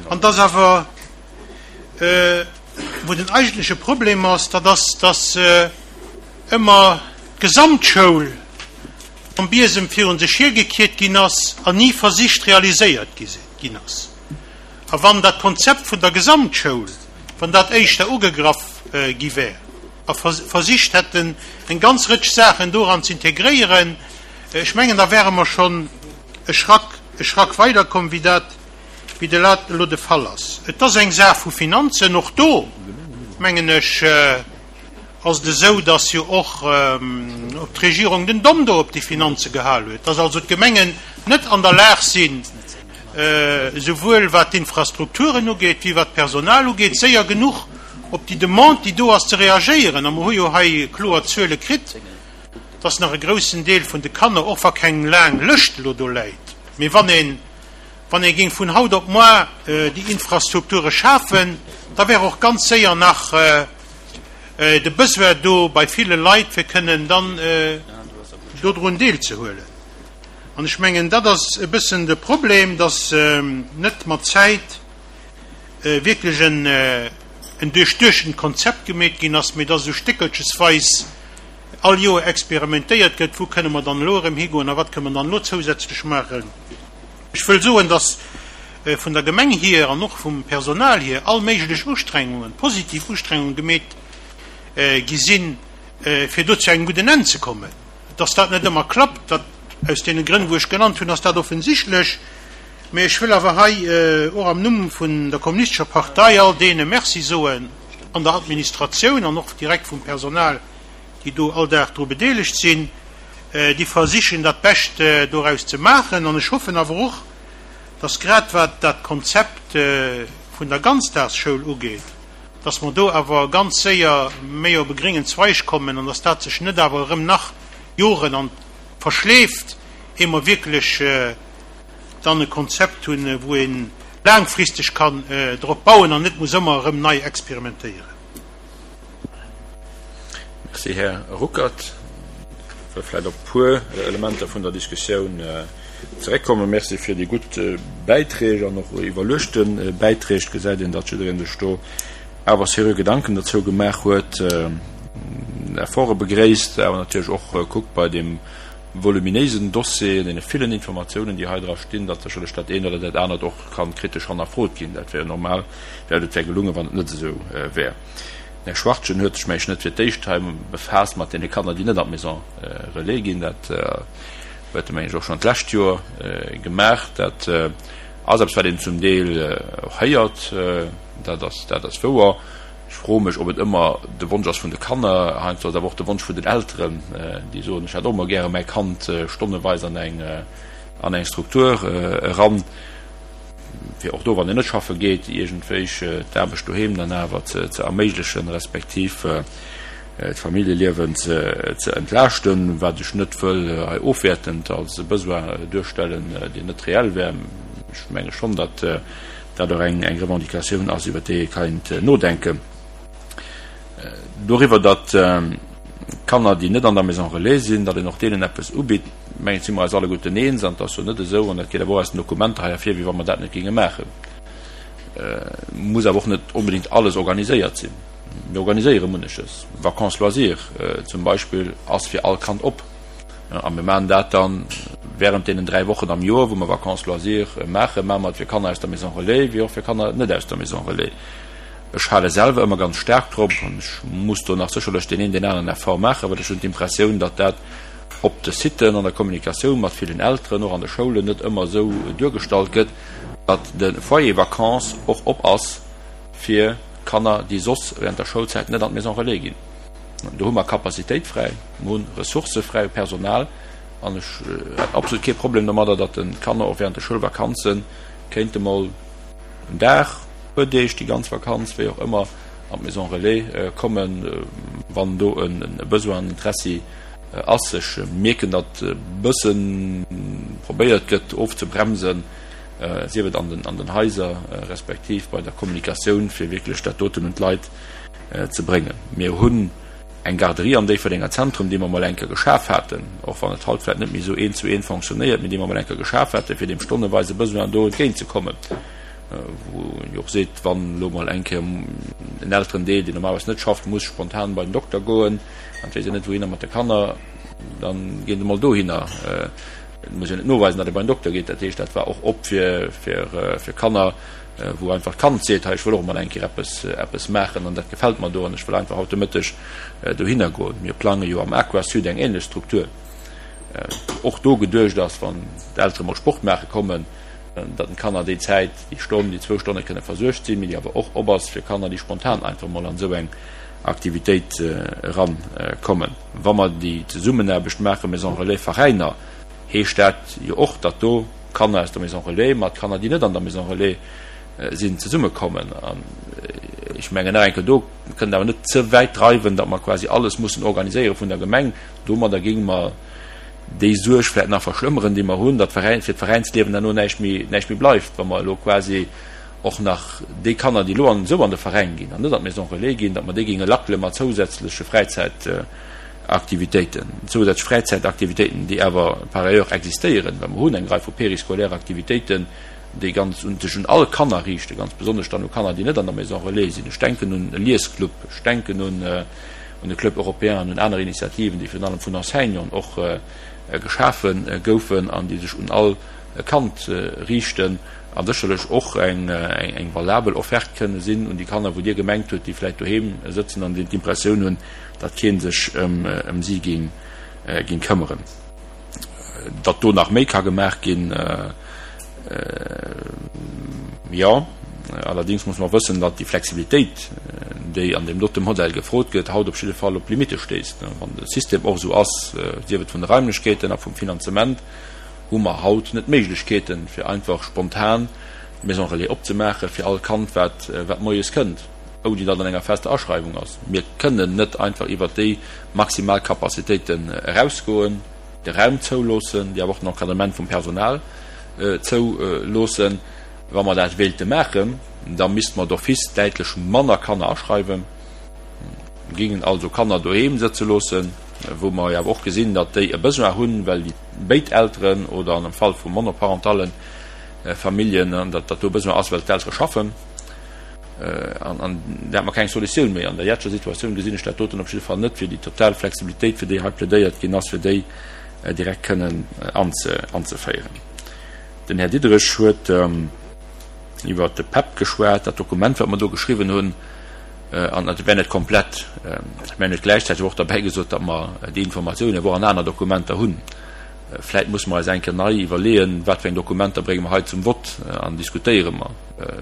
an dass awer, wou den eigentleche Problem ass, dat ass, dass ëmmer d'Gesamtschoul mam Biesem virun sech hiergekiert ginn ass an ni versicht realiséiert ginn ass. A wann dat Konzept vun der Gesamtschoul, wann dat éischter ugegraff gi wär. A versicht hätten, eng ganz Rëtsch Saachen doran ze integréieren, ech mengen, da wäre mer schonn e Schrack, e Schrack weiderkomm, wéi dat, wéi dat elo de Fall ass. Et ass eng Saach vu Finanzen. Och do, mengen ech, ass et esou, dass jo och d'Regierung den Domm do op déi Finanze gehal huet, dass also d'Gemengen net an der Lag sinn, esouwuel wat d'Infrastrukturen ugeet wéi wat d'Personal ugeet, séier genuch op déi Demande, déi do ass, ze reagéieren. A mer hu jo hei kloer Zuele kritt, dass nach e groussen Deel vun de Kanner, och wa keng laang Lëscht elo do läit, mee wann een, wann ee géing vun haut op moar déi Infrastrukture schafen, da wär och ganz séier nach de Besoin do bei ville Leit, fir kënnen dann dodrun deelzehuelen. An ech mengen, dat ass e bëssen de Problem, dass net mat Zäit wierklech en duerchduechtent Konzept gemeet ginn ass, mee dass esou stéckelchesweis all Joer experimentéiert gëtt, wou kënne mer dann elo erëm higoen a wat kënne mer dann elo zousätzlech maachen. Ech wëll soen, dass vun der Gemeng hier an och vum Personal hier all méiglech Ustrengungen, positiv Ustrengungen gemeet gi sinn, fir do zu engem gudden Enn ze kommen. Dass dat net ëmmer klappt, dat aus deene Grënn, wou ech genannt hunn, ass dat offensichtlech. Mee ech wëll awer hei och am Numm vun der Kommunistescher Partei all deene Merci soen an der Administratioun an och direkt vum Personal, déi do all Dag dru bedeelegt sinn, déi versichen dat Bescht doraus ze maachen. An ech hoffen awer och, dass grad wat dat Konzept vun der Ganzdagsschoul ugeet, dass mer do awer ganz séier méi op e gréngen Zweig kommen an dass dat sech net awer erëm nach Joren an verschleeft, ehe mer wierklech dann e Konzept hunn, wou ee laangfristeg kann drop bauen an net muss ëmmer erëm nei experimentéieren. Merci, Här Ruckert. Ech wëll vläicht op e puer Elementer vun der Diskussioun zeréckkommen. Merci fir déi gutt Bäiträg an och iwwerluechte Bäiträg. Et gesäit een, datt jiddereen sech do awer seriö Gedanken dozou gemaach huet, Efforte begréisst, awer natierlech och kuckt bei deem voluminéisen Dossier, deene villen Informatiounen, déi hei dra stinn, datt sécherlech dat eent oder dat anert och ka kritesch hannerfrot ginn. Dat wär jo normal, well et wär gelungen, wann et net esou wär. Den Här Schwachtgen huet sech, meng ech, net fir d'éischt hei befaasst mat deene Kanner, déi net an d'Maison relais ginn. Dat huet e, meng ech, och schonn d'lescht Joer gemaach. Dat ass eppes, wat een zum Deel och héiert. Dat ass, dat ass wouer. Ech froe mech, ob et ëmmer de Wonsch ass vun de Kanner. Heiansdo ass et awer och de Wonsch vun den Elteren, déi soen, ech hätt och emol gäre mäi Kand stonneweis an eng, an eng Struktur eran, fir och do, wann een net schaffe geet, iergendwéich d'Aarbecht doheem dann awer ze erméiglechen, respektiv d'Familljeliewen ze entlaaschten, wat ech net wëll hei ofwäertend als e Besoin duerstellen, deen net reell wär. Ech menge schonn, datt dat och eng Revendicatioun ass, iwwer déi ee keint nodenken. Doriwwer, datt Kanner, déi net an der Maison relais sinn, datt een och deenen eppes ubitt, mengen ech, si mer eis alleguerten eens. An et ass jo net esou, an dat geet awer och aus den Dokumenter hei ervir, wéi wa mer dat net géinge maachen. Muss awer och net onbedéngt alles organiséiert sinn. Mir organiséiere munneches. Vacances loisirs zum Beispill ass fir all Kand op. A mir maachen dat dann während deenen 3 Wochen am Joer, wou mer Vacances loisirs maachen, maache mer et fir Kanner aus der Maison relais wéi och fir Kanner net aus der Maison relais. Ech hale selwer ëmmer ganz staark drop, an ech muss do nach sécherlech deen een, deen aneren Effort maachen, well ech hunn d'Impressioun, datt dat op de Siten, an der Kommunikatioun mat villen Elteren, och an de Schoulen net ëmmer esou duergestallt gëtt, datt de Foyer vacances och op ass fir Kanner, déi soss während der Schoulzäit net an d'Maison relais ginn. Do hu mer Capacitéit fräi, mer hu Ressourcë fräi u Personal an ech hätt absolut kee Problem domadder, datt de Kanner och während de Schoulvakanze kéinte mol en Dag, e puer Deeg, déi ganz Vakanz, wéi och ëmmer, an d'Maison relais kommen, wann do e Besoin an Interessi ass. Ech mierken, datt e bësse probéiert gëtt ofzebremsen, sief et an den Haiser respektiv bei der Kommunikatioun, fir wierklech dat doten un d'Leit ze bréngen. Mir hunn eng Garderie am Déifferdenger Zentrum, déi mer emol eng Kéier geschaf haten, och wann et haut vläicht net méi esou eent zu eent fonctionnéiert, mee déi mer emol eng Kéier geschaf haten, fir deem stonneweise Besoin do entgéintzekommen, wou een jo och seet, wann elo mol eng Kéier en Elterendeel, deen normalerweis net schafft, muss spontan bei den Dokter goen an et weess een net wouhinner mat de Kanner, da ginn se emol dohinner. Et muss een net noweisen, datt ee bei den Dokter geet. Dat heescht, dat war och op fir Kanner. wou einfach d'Kand seet, hei ech wëll och emol eng Kéier eppes, eppes maachen an dat gefält mer do an ech wëll einfach haut de Mëtteg dohinner goen. Mir plange jo am Aquasud eng ähnlech Struktur, wou och do geduecht ass, wann d'Eltere mol Sport maache kommen, datt den Kanner déi Zäit, déi Stonn, déi zwou Stonne kënne versuergt sinn, mee déi awer och op ass fir Kanner, déi spontan einfach mol an esou eng Aktivitéit eran kommen. Wa mer déi Zesummenaarbecht maache Maison Relais Veräiner, heescht dat jo och, datt do Kanner aus der Maison Relais mat Kanner, déi net an der Maison Relais sinn, zesummekommen. An ech mengen nach eng Kéier, do kënnt awer net ze wäit dreiwen, datt mer quasi alles mussen organiséiere vun der Gemeng. Domadder géinge mer déi Suerg vläicht nach verschlëmmeren, déi mer hunn, datt fir d'Veräinsliewen herno näischt méi, näischt méi bleift, wa mer elo quasi och nach déi Kanner, déi elo an esou an de Veräin ginn an net an d'Maison Relais ginn, datt mer déi géinge lackele mat zousätzleche Fräizäitaktivitéiten, zousätzlech Fräizäitaktivitéiten, déi awer par ailleurs existéieren, well mer hunn eng Rei vu périscolaire Aktivitéiten, déi ganz un sech un all Kanner riichten, ganz besonnesch dann u Kanner, déi net an der Maison Relais sinn. Ech denken un e Liesclub, ech denken un un de Club européen an un aner Initiativen, déi virun allem vun Enseignanten och geschafe goufen an déi sech un all Kand riichten a sécherlech och eng valabel Offerte kënne sinn un déi Kanner, wou Dir gemengt hutt, déi vläicht doheem sëtzen an déi d'Impressioun hunn, datt kee sech ëm si géing këmmeren. Datt do nach méi ka gemaach ginn, jo. Allerdéngs muss mer wëssen, datt déi Flexibilitéit, déi an deem dote Modell gefrot gëtt, haut op jidde Fall op Limitte stéisst. Wann de System och esou ass, sief et vun de Raimlechkeeten a vum Finanzement, hu mer haut net d'Méiglechkeeten, fir einfach spontan d'Maison relais opzemaache fir all Kand, wat moies kënnt, ouni datt an enger fester Aschreiwung ass. Mir kënnen net einfach iwwert déi maximal Capacitéiten erausgoen, de Raum zouloossen, déi awer och den Encadrement vum Personal zouloossen. Wa mer dat wéilte maachen, da misste mer d'office däitlech manner Kanner aschreiwen, géingen also Kanner doheem sëtze loossen, wou mer jo awer och gesinn, datt déi e Besoin hunn, well déi béid Elteren oder an am Fall vu monoparentale Familljen, datt do e Besoin ass, well d'Eltere schaffen. An da hätte mer keng Solutioun méi. An der jetzeger Situatioun gesinn ech dat doten op jidde Fall net, fir déi total Flexibilitéit, fir déi hei plädéiert ginn ass, fir déi direkt kënnen anzeféieren. Den Här Diderich huet iwwert de PEP geschwat, dat Dokument, wat mer do geschriwwen hunn, an dat wär net komplett. Mä en huet gläichzäiteg och derbäi gesot, datt mer déi Informatiounen awer och an aner Dokumenter hunn. Vläit musse mer eis eng Kéier nei iwwerleeën, wat fir eng Dokumenter brénge mer hei zum Vott an diskutéiere mer.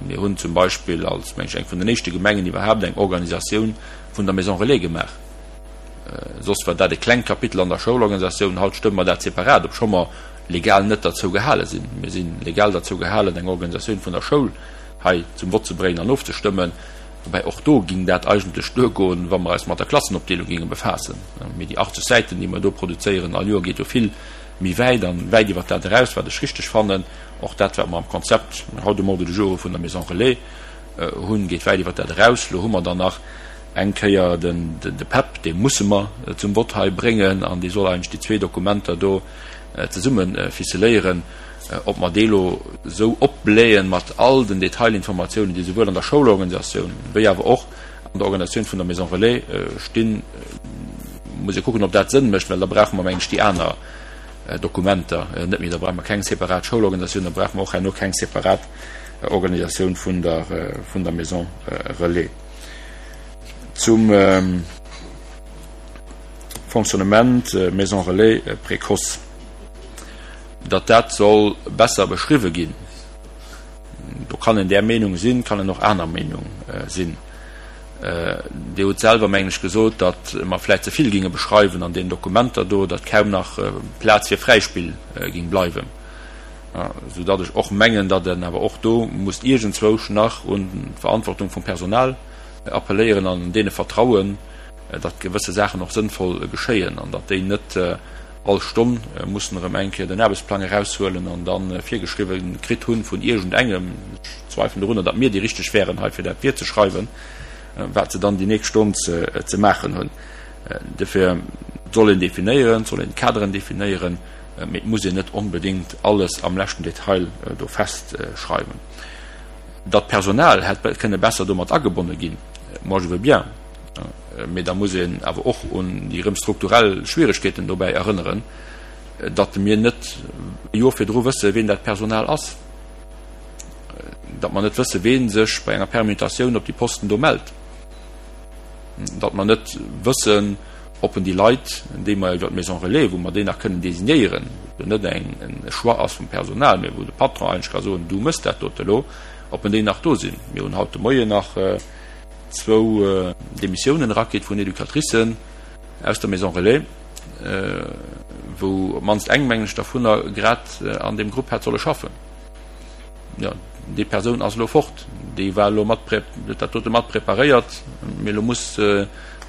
Mir hunn zum Beispill als, meng ech, eng vun den éischte Gemengen iwwerhaapt eng Organisatioun vun der Maison Relais gemaach. Soss war dat e klengt Kapitel an der Schoulorganisatioun. Haut stëmme mer dat separat, obscho mer legal net derzou gehale sinn. Mir si legal derzou gehalen, eng Organisatioun vun der Schoul hei zum Vott ze bréngen an ofzestëmmen. Woubäi och do ging dat eigentlech duergoen, wa mer eis mat der Klassenopdeelung ginge befaassen. Mee déi 80 Säiten, déi mer do produzéieren all Joer, geet jo vill méi wäit an wäit iwwert dat eraus, wat ech richteg fannen. Och dat, wat mer am Konzept haut um Ordre du jour vun der Maison Relais hunn, geet wäit iwwert dat eraus. Elo hu mer dann nach eng Kéier de PEP, dee musse mer zum Vott hei bréngen an dee soll eigentlech déi zwee Dokumenter do zesumme ficeléieren, ob mer dee lo esou opblähen mat all den Detailinformatiounen, déi souwuel an der Schoulorganisatioun wéi awer och an der Organisatioun vun der Maison Relais stinn, muss ee kucken, ob dat Sënn mécht, well da brauche mer, mengen ech, déi aner Dokumenter net méi. Da brauche mer keng separat Schoulorganisatioun, da brauche mer och herno keng separat Organisatioun vun der, vun der Maison Relais. Zum. Fonctionnement Maison Relais précoce, datt dat soll besser beschriwwe ginn. Do kann een där Meenung sinn, kann een och aner Meenung sinn. Dir hutt selwer, mengen ech, gesot, datt mer vläicht ze vill ginge beschreiwen an deenen Dokumenter do, datt kaum nach Plaz fir Fräispill ging bleiwen, soudatt ech och mengen, datt een awer och do muss iergendzwousch nach un d'Verantwortung vum Personal appelléieren an deene vertrauen, datt gewësse Saachen och sënnvoll geschéien an datt déi net all Stonn mussen erëm eng Kéier den Aarbechtsplang eraushuelen an da virgeschriwwe kritt hunn vun iergendengem, ech zweifelen dorunner, datt mir déi Richteg wären hei fir dat virzeschreiwen, wat se dann déi nächst Stonn ze maachen hunn. Dofir, et soll een definéieren, et soll een d'Kaderen definéieren, mee et muss een net onbedéngt alles am leschten Detail do festschreiwen. Datt d'Personal hätt kënne besser domat agebonne ginn, moi je veux bien. Mee da muss een awer och un déi erëm strukturell Schwieregkeeten dobäi erënneren, datt mir net e Joer virdru wësse wien dat Personal ass. Datt mer net wëssen, wee sech bei enger Permutatioun op déi Posten do mellt. Datt mer net wëssen, ob en déi Leit, déi mer iwwer d'Maison relais, wou mer déi nach kënnen designéieren, wou net eng e Choix ass vum Personal, mä wou de Patron eigentlech ka soen, du mëss dat dote elo, ob en déi nach do sinn. Mir hunn haut de Moien nach zwou Demissiounen erakritt vun Educatricen aus der Maison relais, wou op d'mannst eng, mengen ech, dervunner grad an deem Grupp hätt solle schaffen. Jo, déi Persoun ass elo fort, déi war elo mat, huet dat dote mat preparéiert, mee elo muss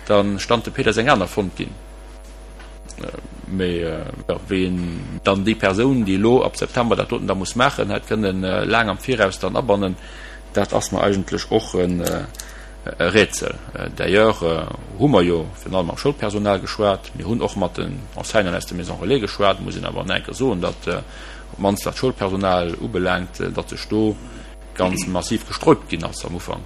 da stante pedes eng aner fonnt ginn. Mee jo, wéi een dann déi Persoun, déi elo ab September dat doten da muss maachen, hätt kënnen laang am Viraus dann abannen, dat ass mer eigentlech och e Rätsel. D'ailleurs hu mer jo virun allem mam Schoulpersonal geschwat, mir hunn och mat den Enseignanten aus de Maisons relais geschwat, muss een awer nach eng Kéier soen, datt op d'mannst wat d'Schoulpersonal ubelaangt, datt sech do ganz massiv gesträubt ginn ass am Ufank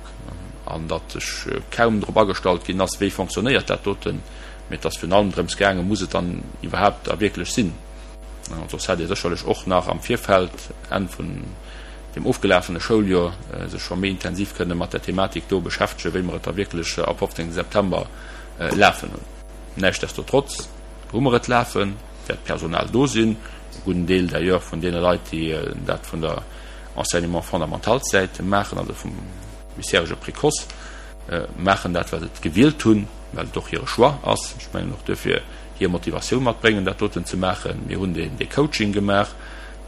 an datt sech kaum drop agestallt ginn ass, wéi fonctionnéiert dat doten, mee et ass virun allem drëms gaangen, muss et dann iwwerhaapt a wierklech sinn? Soss hätt ee sécherlech och nach am Virfeld, Enn vun deem ofgelafene Schouljoer, sech scho méi intensiv kënne mat där Thematik do beschäftegen, wéi mer et da wierklech ab 15 September lafen hunn. Näischtdestotrotz hu mer et lafen, wäert Personal do sinn, e gudden Deel d'ailleurs vun deene Leit, déi dat vun der Enseignement fondamental-Säit maachen, also vum bisherege Précoce, maachen dat, well se et gewielt hunn, well et och hire Choix ass. Ech mengen och duerfir hir Motivatioun matbréngen, dat doten ze maachen. Mir hunn dee Coaching gemaach,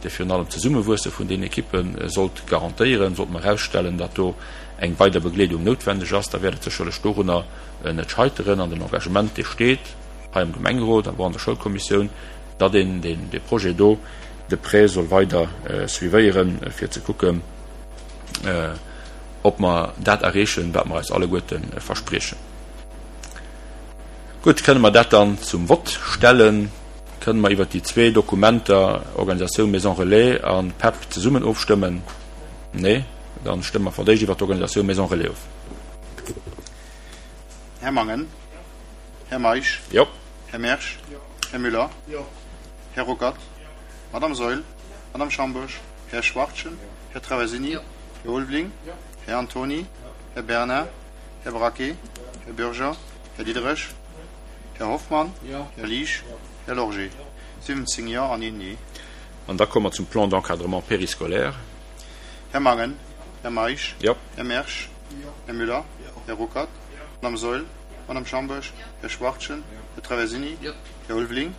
dee virun allem d'Zesummewuesse vun den Ekippe sollt garantéieren. Sollte mer erausstellen, datt do eng weider Begleedung noutwendeg ass, da wäert et sécherlech dorunner net scheiteren. An den Engagement, dee steet hei am Gemengerot, awer och an der Schoulkommissioun, datt een dee Projet do de près soll weider suivéieren, fir ze kucken, ob mer dat erreechen, wat mer eis alleguerte verspriechen. Gutt, kënne mer dat dann zum Vott stellen? Kënne mer iwwert déi zwee Dokumenter, Organisatioun Maison Relais a PEP, zesummen ofstëmmen? Nee? Dann stëmme mer fir d'éischt iwwert d'Organisatioun Maison Relais of. Här Mangen. Här Meisch. Jo. Här Mersch. Här Müller. Här Ruckert. Madame Saeul. Madame Schambourg. Här Schwachtgen. Här Traversini. Här Ulveling. Här Antony. Här Bernard. Här Braquet. Här Bürger. Här Diderich. Här Hoffmann. Här Liesch. Här Lorgé. 17 Jo an een Nee. An da komme mer zum Plan d'encadrement périscolaire. Här Mangen. Här Meisch. Här Mersch. Här Müller. Här Ruckert. Madame Saeul. Madame Schambourg. Här Schwachtgen. Här Traversini. Här Ulveling.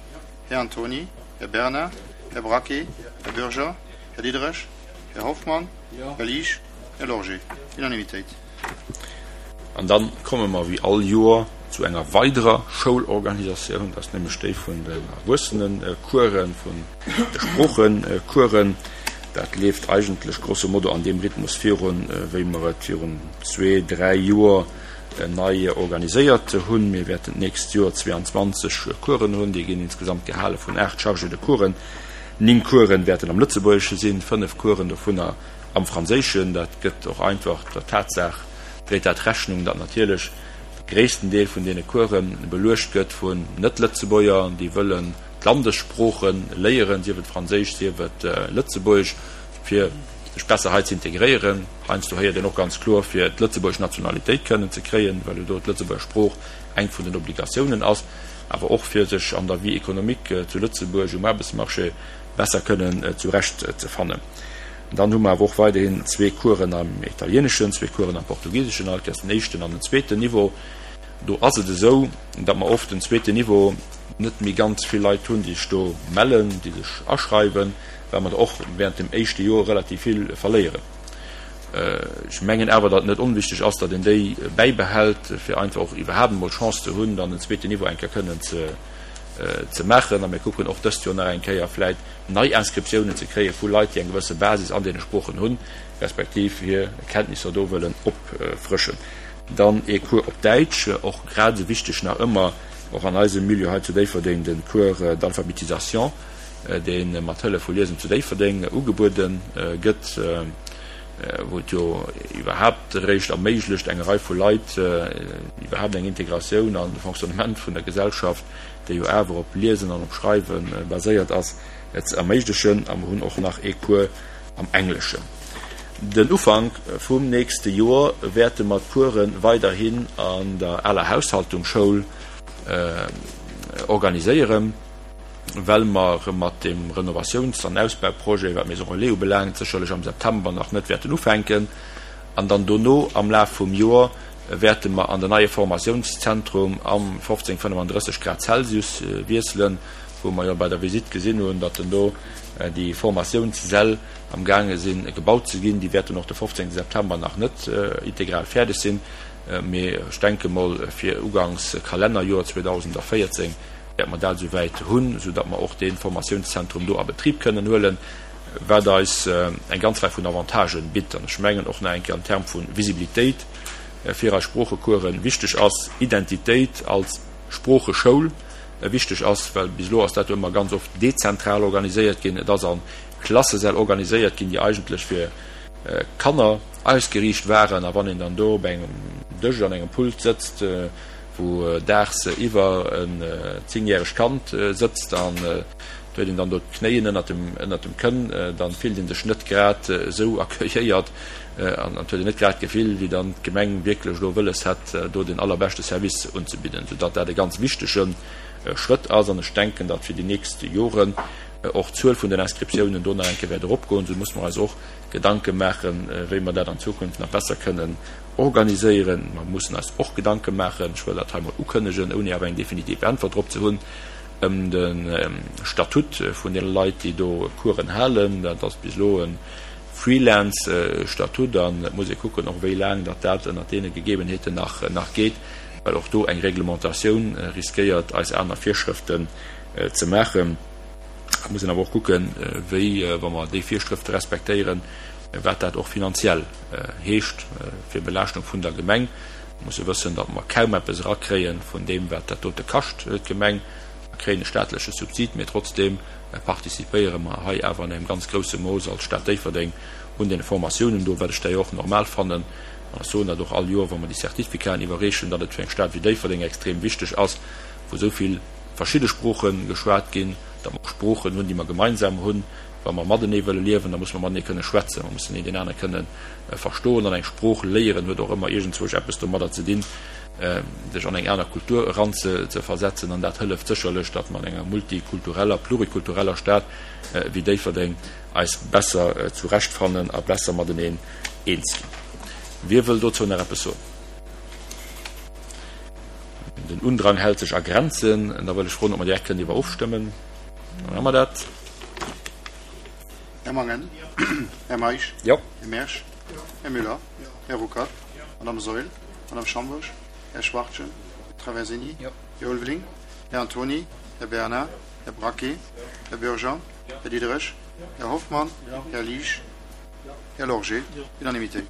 Här Antony. Här Bernard. Här Braquet. Här Bürger. Här Diderich. Här Hoffmann. Här Liesch. Här Lorgé. Unanimitéit. An da komme mer wéi all Joer zu enger weiderer Schoulorganisatioun, dat ass nämlech déi vun den Erwuessenencoursen, vun de Sproochecoursen. Dat leeft eigentlech grosso modo an deem Rhythmus virun, wéi mer et virun zwee, dräi Joer nei organiséiert hunn. Mir wäerten d'nächst Joer 22 Coursen hunn. Déi ginn insgesamt gehale vun 8 Chargés de coursen. 9 Coursen wäerten am Lëtzebuergesche sinn, 5 Coursen dovunner am Franséischen. Dat gëtt och einfach der Tatsaach, dréit dat Rechnung, datt natierlech de gréissten Deel vun deene Course beluecht gëtt vun Net-Lëtzebuerger, déi wëllen d'Landessprooche léieren, sief et Franséisch, sief et Lëtzebuergesch, fir sech besser hei ze integréieren. Heiansdo héiert een och ganz kloer, fir d'lëtzebuergesch Nationalitéit kënnen ze kréien, well jo do d'Lëtzebuerger Sprooch eng vun den Obligatiounen ass, awer och fir sech an der Vie économique zu Lëtzebuerg um Aarbechtsmarché besser kënnen zurecht ze fannen. Dann hu mer awer och weiderhin zwee Coursen am Italieeneschen, zwee Coursen am Portugiseschen, alt den éischten an den zweeten Niveau. Do ass et esou, datt mer oft den zweeten Niveau net méi ganz vill Leit hunn, déi sech do mellen, déi sech aschreiwen, well mer der och während dem éischte Joer relativ vill verléieren. Ech mengen awer, datt et net onwichtig ass, datt een déi bäibehält, fir einfach och iwwerhaapt emol d'Chance ze hunn, dann den zweeten Niveau eng Kéier kënnen ze maachen. A mir kucken och dëst Joer nach eng Kéier vläicht nei Inscriptiounen ze kréie vu Leit, déi eng gewësse Basis an deene Sproochen hunn, respektiv hir Kenntnisser do wëllen opfrëschen. Dann ee Cours op Däitsch, och grad esou wichteg nach ëmmer, och an eisem Milieu hei zu Déifferdeng, de Cours d'alphabétisation, dee mat Hëllef vu Liesen zu Déifferdeng ugebuede gëtt, wou et jo iwwerhaapt eréischt erméiglecht enger Rei vu Leit iwwerhaapt eng Integratioun an de Fonctionnement vun der Gesellschaft, déi jo awer op Liesen an op Schreiwe baséiert ass, ze erméiglechen. A mer hunn och nach ee Cours am Engleschen. Den Ufank vum nächste Joer wäerte mer d'Course weiderhin an der aler Haushaltungsschoul organiséieren, well mer mat dem Renovatiouns an Ausbauprojet, wat d'Maison Relais ubelaangt, sécherlech am September nach net wäerten ufänken. An dann dono am Laf vum Joer wäerte mer an den neie Formatiounszentrum am 1535 Grad Celsius wiesselen, wou mer jo bei der Visitt gesinn hunn, datt en do déi Formatiounssäll am gaange sinn gebaut ze ginn. Déi wäerten och de 15 September nach net integral fäerdeg sinn, mee ech denke mol fir ugangs Kalennerjoer 2014 wäerte mer dat esouwäit hunn, esou datt mer och dee Formatiounszentrum do a Betrib kënnen huelen, wat eis eng ganz Rei vun Avantagen bitt. An ech mengen och nach eng Kéier an Term vu Visibilitéit fir eis Sproochecoursen wichteg ass, Identitéit als Sproocheschoul wichteg ass, well bis elo ass dat jo ëmmer ganz oft dezentral organiséiert ginn. Et ass a Klassesäll organiséiert ginn, déi eigentlech fir Kanner ausgeriicht waren. A wann een dann do op engem Dësch an engem Pult sëtzt, wou daagsiwwer en zéngjäregt Kand sëtzt an et huet een dann do d'Knéien ënnert dem, ënnert dem Kënn, da fillt ee sech net grad esou accueilléiert an et huet een net grad d'Gefill, wéi dann d'Gemeng wierklech elo wëlles hätt, do den allerbeschte Service unzebidden, soudatt dat e ganz wichtege Schrëtt ass. An ech denken, datt fir déi nächst Joren och d'Zuel vun den Inscriptiounen do nach eng Kéier wäert eropgoen. Esou musse mer eis och Gedanke maachen, wéi mer dat an Zukunft nach besser kënnen organiséieren. Mer mussen eis och Gedanke maachen, ech wëll dat hei mol ukënnegen, ouni awer eng definitiv Äntwert drop ze hunn, ëm de Statut vun deene Leit, déi do Coursen halen. Dat ass bis elo e Freelance-Statut an et muss ee kucken och, wéi laang datt dat ënnert deene Gegebenheeten nach geet, well och do eng Reglementatioun riskéiert, eis aner Virschrëften ze maachen. Et muss een awer och kucken, wéi, wa mer déi Virschrëfte respektéieren, wat dat och finanziell heescht fir Belaaschtung vun der Gemeng. Mir musse wëssen, datt mer kaum eppes erakréie vun deem, wat dat dote kascht, d'Gemeng. Mer kréien e staatleche Subsid, mee trotzdeem participéiere mer hei awer an engem ganz grousse Mooss als Stad Déifferdeng un deene Formatiounen do, wat ech d'ailleurs och normal fannen. An ech soen dat och all Joer, wa mer déi Certificaten iwwerreechen, datt et fir eng Stad wéi Déifferdeng extrem wichteg ass, wou esou vill verschidde Sprooche geschwat ginn, datt mer och Sproochen hunn, déi mer gemeinsam hunn. Wa mer matenee wëlle liewen, da musse mer matenee kënne schwätzen, mer mussen een deen anere kënne verstoen. An eng Sprooch léieren huet och ëmmer iergendzwousch eppes domadder ze dinn, sech an eng aner Kultur eranzeversetzen. An dat hëlleft sécherlech, datt mer an enger multikultureller, plurikultureller Stad wéi Déifferdeng eis besser zurechtfannen a besser mateneen eens ginn. Wie wëll dozou nach eppes soen? Den Undrang hält sech a Grenzen. Da wëll ech froen, ob mer direkt kënnen iwwer ofstëmmen. Da maache mer dat. Här Mangen. Här Meisch. Jo. Här Mersch. Här Müller. Här Ruckert. Madame Saeul. Madame Schambourg. Här Schwachtgen. Här Traversini. Här Ulveling. Här Antony. Här Bernard. Här Braquet. Här Bürger. Här Diderich. Här Hoffmann. Här Liesch. Här Lorgé. Unanimité.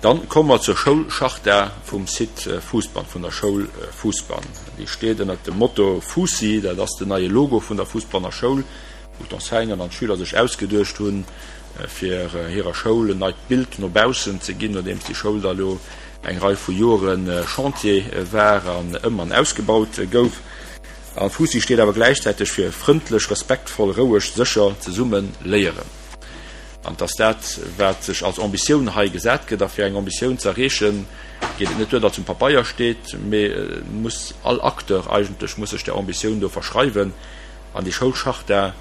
Dann komme mer zur Schoulcharta vum Site Fousbann, vun der Schoul Fousbann. Déi steet ënnert dem Motto Fuussi, dat ass den neie Logo vun der Fousbanner Schoul, wou d'Enseignanten an d'Schüler sech ausgeduecht hunn, fir hirer Schoul en neit Bild no baussen ze ginn, nodeems déi Schoul da lo eng Rei vu Jore Chantier war an ëm an ausgebaut gouf. A Fuussi steet awer gläichzäiteg fir frëndlech, respektvoll, roueg, sécher, zesumme léieren. An et ass dat, wat sech als Ambitioun hei gesat gëtt. A fir eng Ambitioun ze erreechen, geet et net duer, datt se um Papeier steet, mee et muss all Acteur eigentlech muss sech där Ambitioun do verschreiwen. An déi Schoulcharta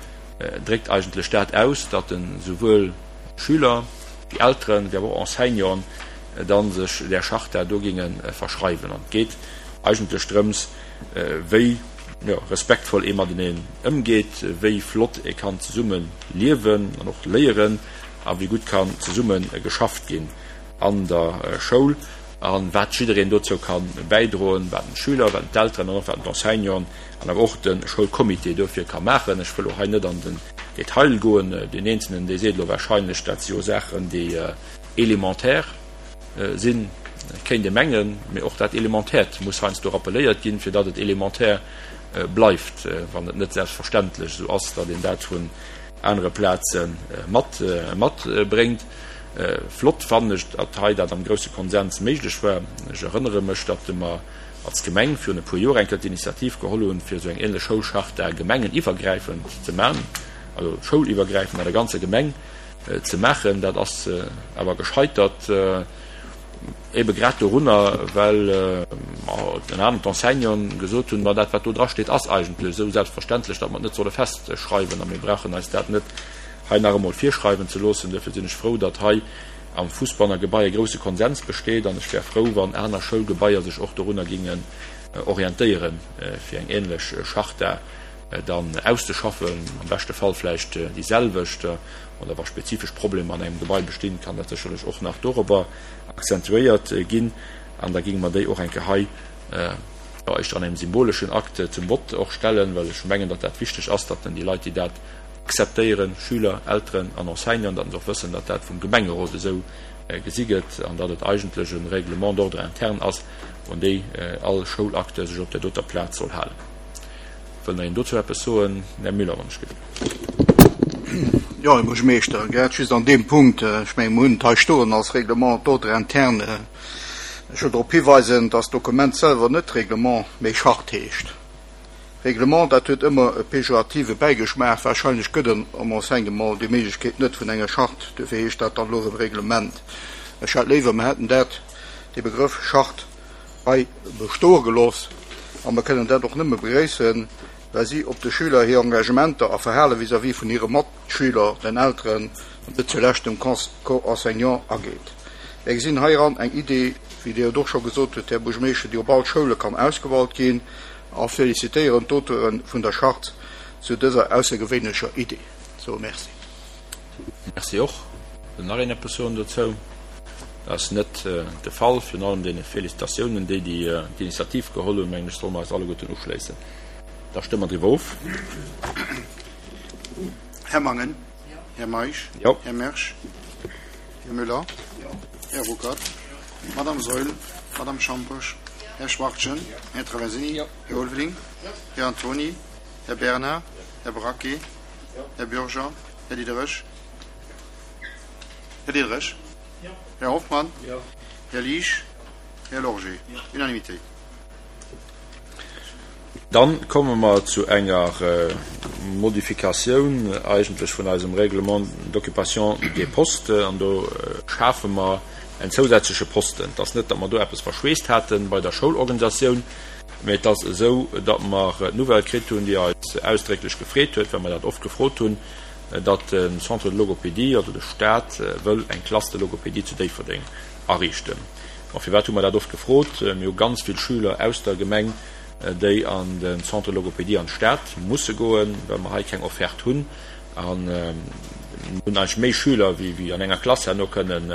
dréckt eigentlech dat aus, datt esouwuel Schüler wéi Elteren, wéi awer och Enseignanten da sech där Charta do géinge verschreiwen. An et geet eigentlech drëms, wéi respektvoll ee mateneen ëmgeet, wéi flott ee kann zesumme liewen an och léieren a wéi gutt kann zesumme geschafft ginn an der Schoul a wat jiddereen dozou ka bäidroen, wat den Schüler, wat d'Elteren an och wat d'Enseignanten an awer och de Schoulcomité dofir ka maachen. Ech wëll och hei net an den Detail goen. Deen Eenzelnen, dee seet elo wahrscheinlech, dat si jo Saachen, déi élémentaire sinn, kéint ee mengen, mee och dat Elementäert muss heiansdo rappeléiert ginn, fir datt et élémentaire bleift, wann et net selbstverständlech esou ass, datt een dat vun anere Plaze mat matbréngt. Flott fannen ech, datt hei dat am grousse Konsens méiglech war. Ech erënnere mech, datt mer als Gemeng virun e puer Joer eng Kéier d'Initiativ geholl hunn, fir esou eng ähnlech Schoulcharta gemengeniwwergräifend ze maachen, also schouliwwergräifend an der ganzer Gemeng. ze maachen. Dat ass awer gescheitert, ebe grad dorunner, well ënner anerem d'Enseignanten gesot hunn, Ma dat, wat do drasteet, ass eigentlech esou selbstverständlech, datt mer et net solle festschreiwen a mir brauchen eis dat net hei nach emol virschreiwen ze loossen. Duerfir sinn ech frou, datt hei am Fussbanner Gebai e grouse Konsens besteet an ech wär frou, wann aner Schoulgebaier sech och dorunner gingen orientéieren, fir eng ähnlech Charta dann auszeschaffen, am beschte Fall vläicht déi selwecht, oder wa spezifesch Problemer an engem Gebai bestinn, kann dat sécherlech och nach dorobber accentuéiert ginn an da géinge mer déi och eng Kéier hei, jo, éischter an engem symboleschen Akt zum Vott och stellen, well ech mengen, datt dat wichteg ass, datt dann déi Leit, déi dat akzeptéieren, Schüler, Elteren an Enseignanten, datt se och wëssen, datt dat vum Gemengerot esou gesi gëtt an datt et eigentlech e Règlement d'ordre interne ass, un déi all Schoulacteur sech op där doter Plaz soll halen. Wëll nach een dozou eppes soen? Här Müller, wann ech gelift. Jo, Här Buergermeeschter, grad just an deem Punkt, ech mengen, mer hunn et hei stoen als Règlement d'ordre interne. Ech wëll drop hiweisen, dass d'Dokument selwer net Règlement, mee Charte heescht. Règlement, dat huet ëmmer e pejorative Bäigeschmaach. Wahrscheinlech gëtt en am Enseignement déi Méiglechkeet net vun enger Charte, duerfir heescht dat dann elo erëm Règlement. Ech hätt léiwer, mer hätten dat, dee Begrëff Charte hei bestoe gelooss a mer kënnen dat och nëmme begréissen, well si op de Schüler hir Engagementer a Verhale vis-à-vis vun hire Matschüler, den Elteren an net zulescht dem Corps enseignant ageet. Mir gesinn heiran eng Idee, wéi Dir et och scho gesot hutt, Här Buergermeeschter, déi op all Schoule kann ausgewalt ginn a felicitéieren d'Auteure vun der Charte zu dëser aussergewéinlecher Idee. Sou, Merci. Merci och. Wëll nach een eppes soen dozou? Dat ass net de Fall. Virun allem deene Félicitatiounen, déi déi d'Initiativ geholl hunn, mengen ech, solle mer eis alleguerten uschléissen. Da stëmme mer driwwer of. Här Mangen. Här Meisch. Jo. Här Mersch. Här Müller. Här Ruckert. Madame Saeul. Madame Schamposch. Här Schwachtgen. Här Traversini. Här Ulveling. Här Antony. Här Bernard. Här Braquet. Här Bürger. Här Diderich. Här Diderich. Här Hoffmann. Här Liesch. Här Lorgé. Unanimité. Dann komme mer zu enger Modifikatioun eigentlech vun eisem Règlement d'occupation des postes. An do schafe mer en zousätzleche Posten. Et ass net, datt mer do eppes verschweesst hate bei der Schoulorganisatioun, mä et ass esou, datt mer d'Nouvelle kritt hunn, déi eis ausdrécklech gefreet huet, well mer dat oft gefrot hunn, datt de Centre de logopédie, also de Stat, wëll eng Classe de logopédie zu Déifferdeng ariichten. Bon, firwat hu mer dat oft gefrot? Mir hu ganz vill Schüler aus der Gemeng, déi an de Centre de logopédie an d'Stad musse goen, well mer hei keng Offerte hunn. A mir hunn eigentlech méi Schüler, wéi an enger Klass herno kënnen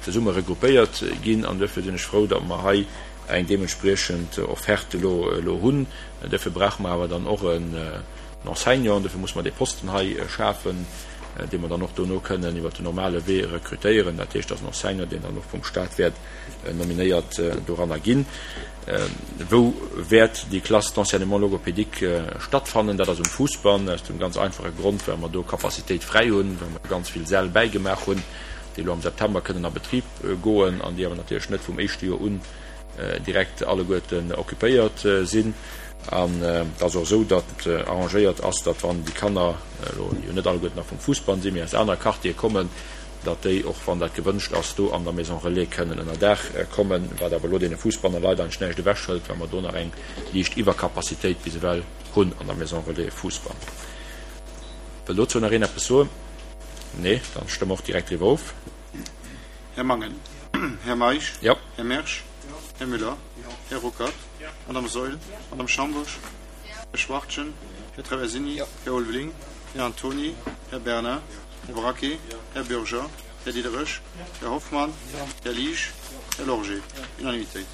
zesumme regroupéiert ginn. An duerfir sinn ech frou, datt mer hei eng deementspriechend Offerte elo hunn. Duerfir brauche mer awer dann och en Enseignant. Duerfir musse mer dee Posten hei schafen, dee mer dann och dono kënnen iwwert den normale Wee rekrutéieren. Dat heescht, dass en Enseignant, deen dann och vum Stat wäert nominéiert doranner ginn. Wou wäert déi Classe d'enseignement logopédique stattfannen? Dat ass um Fousbann, aus dem ganz einfache Grond, well mer do Capacitéit fräi hunn, well mer ganz vill Säll bäigemaach hunn, déi elo am September kënnen a Betrib goen an déi awer natierlech net vum éischte Joer un direkt alleguerten occupéiert sinn. An et ass och esou, datt arrangéiert ass, datt wann déi Kanner elo, déi jo net alleguerten nach vum Fousbann sinn, mee aus anere Quartiere kommen, datt déi och, wann dat gewënscht ass, do an der Maison Relais kënnen ënner Daach kommen, wat awer elo deene Fousbanner Leit eigentlech näischt ewechhëlt, well mer do nach eng liicht Iwwercapacitéit bis ewell hunn an der Maison Relais Fousbann. Wëll dozou nach een eppes soen? Nee? Dann stëmme mer och direkt driwwer of. Här Mangen. Här Meisch. Jo. Här Mersch. Här Müller. Här Ruckert. Madame Saeul. Madame Schambourg. Här Schwachtgen. Här Traversini. Här Ulveling. Här Antony. Här Bernard. Här Braquet. Här Bürger. Här Diderich. Här Hoffmann. Här Liesch. Här Lorgé. Unanimitéit.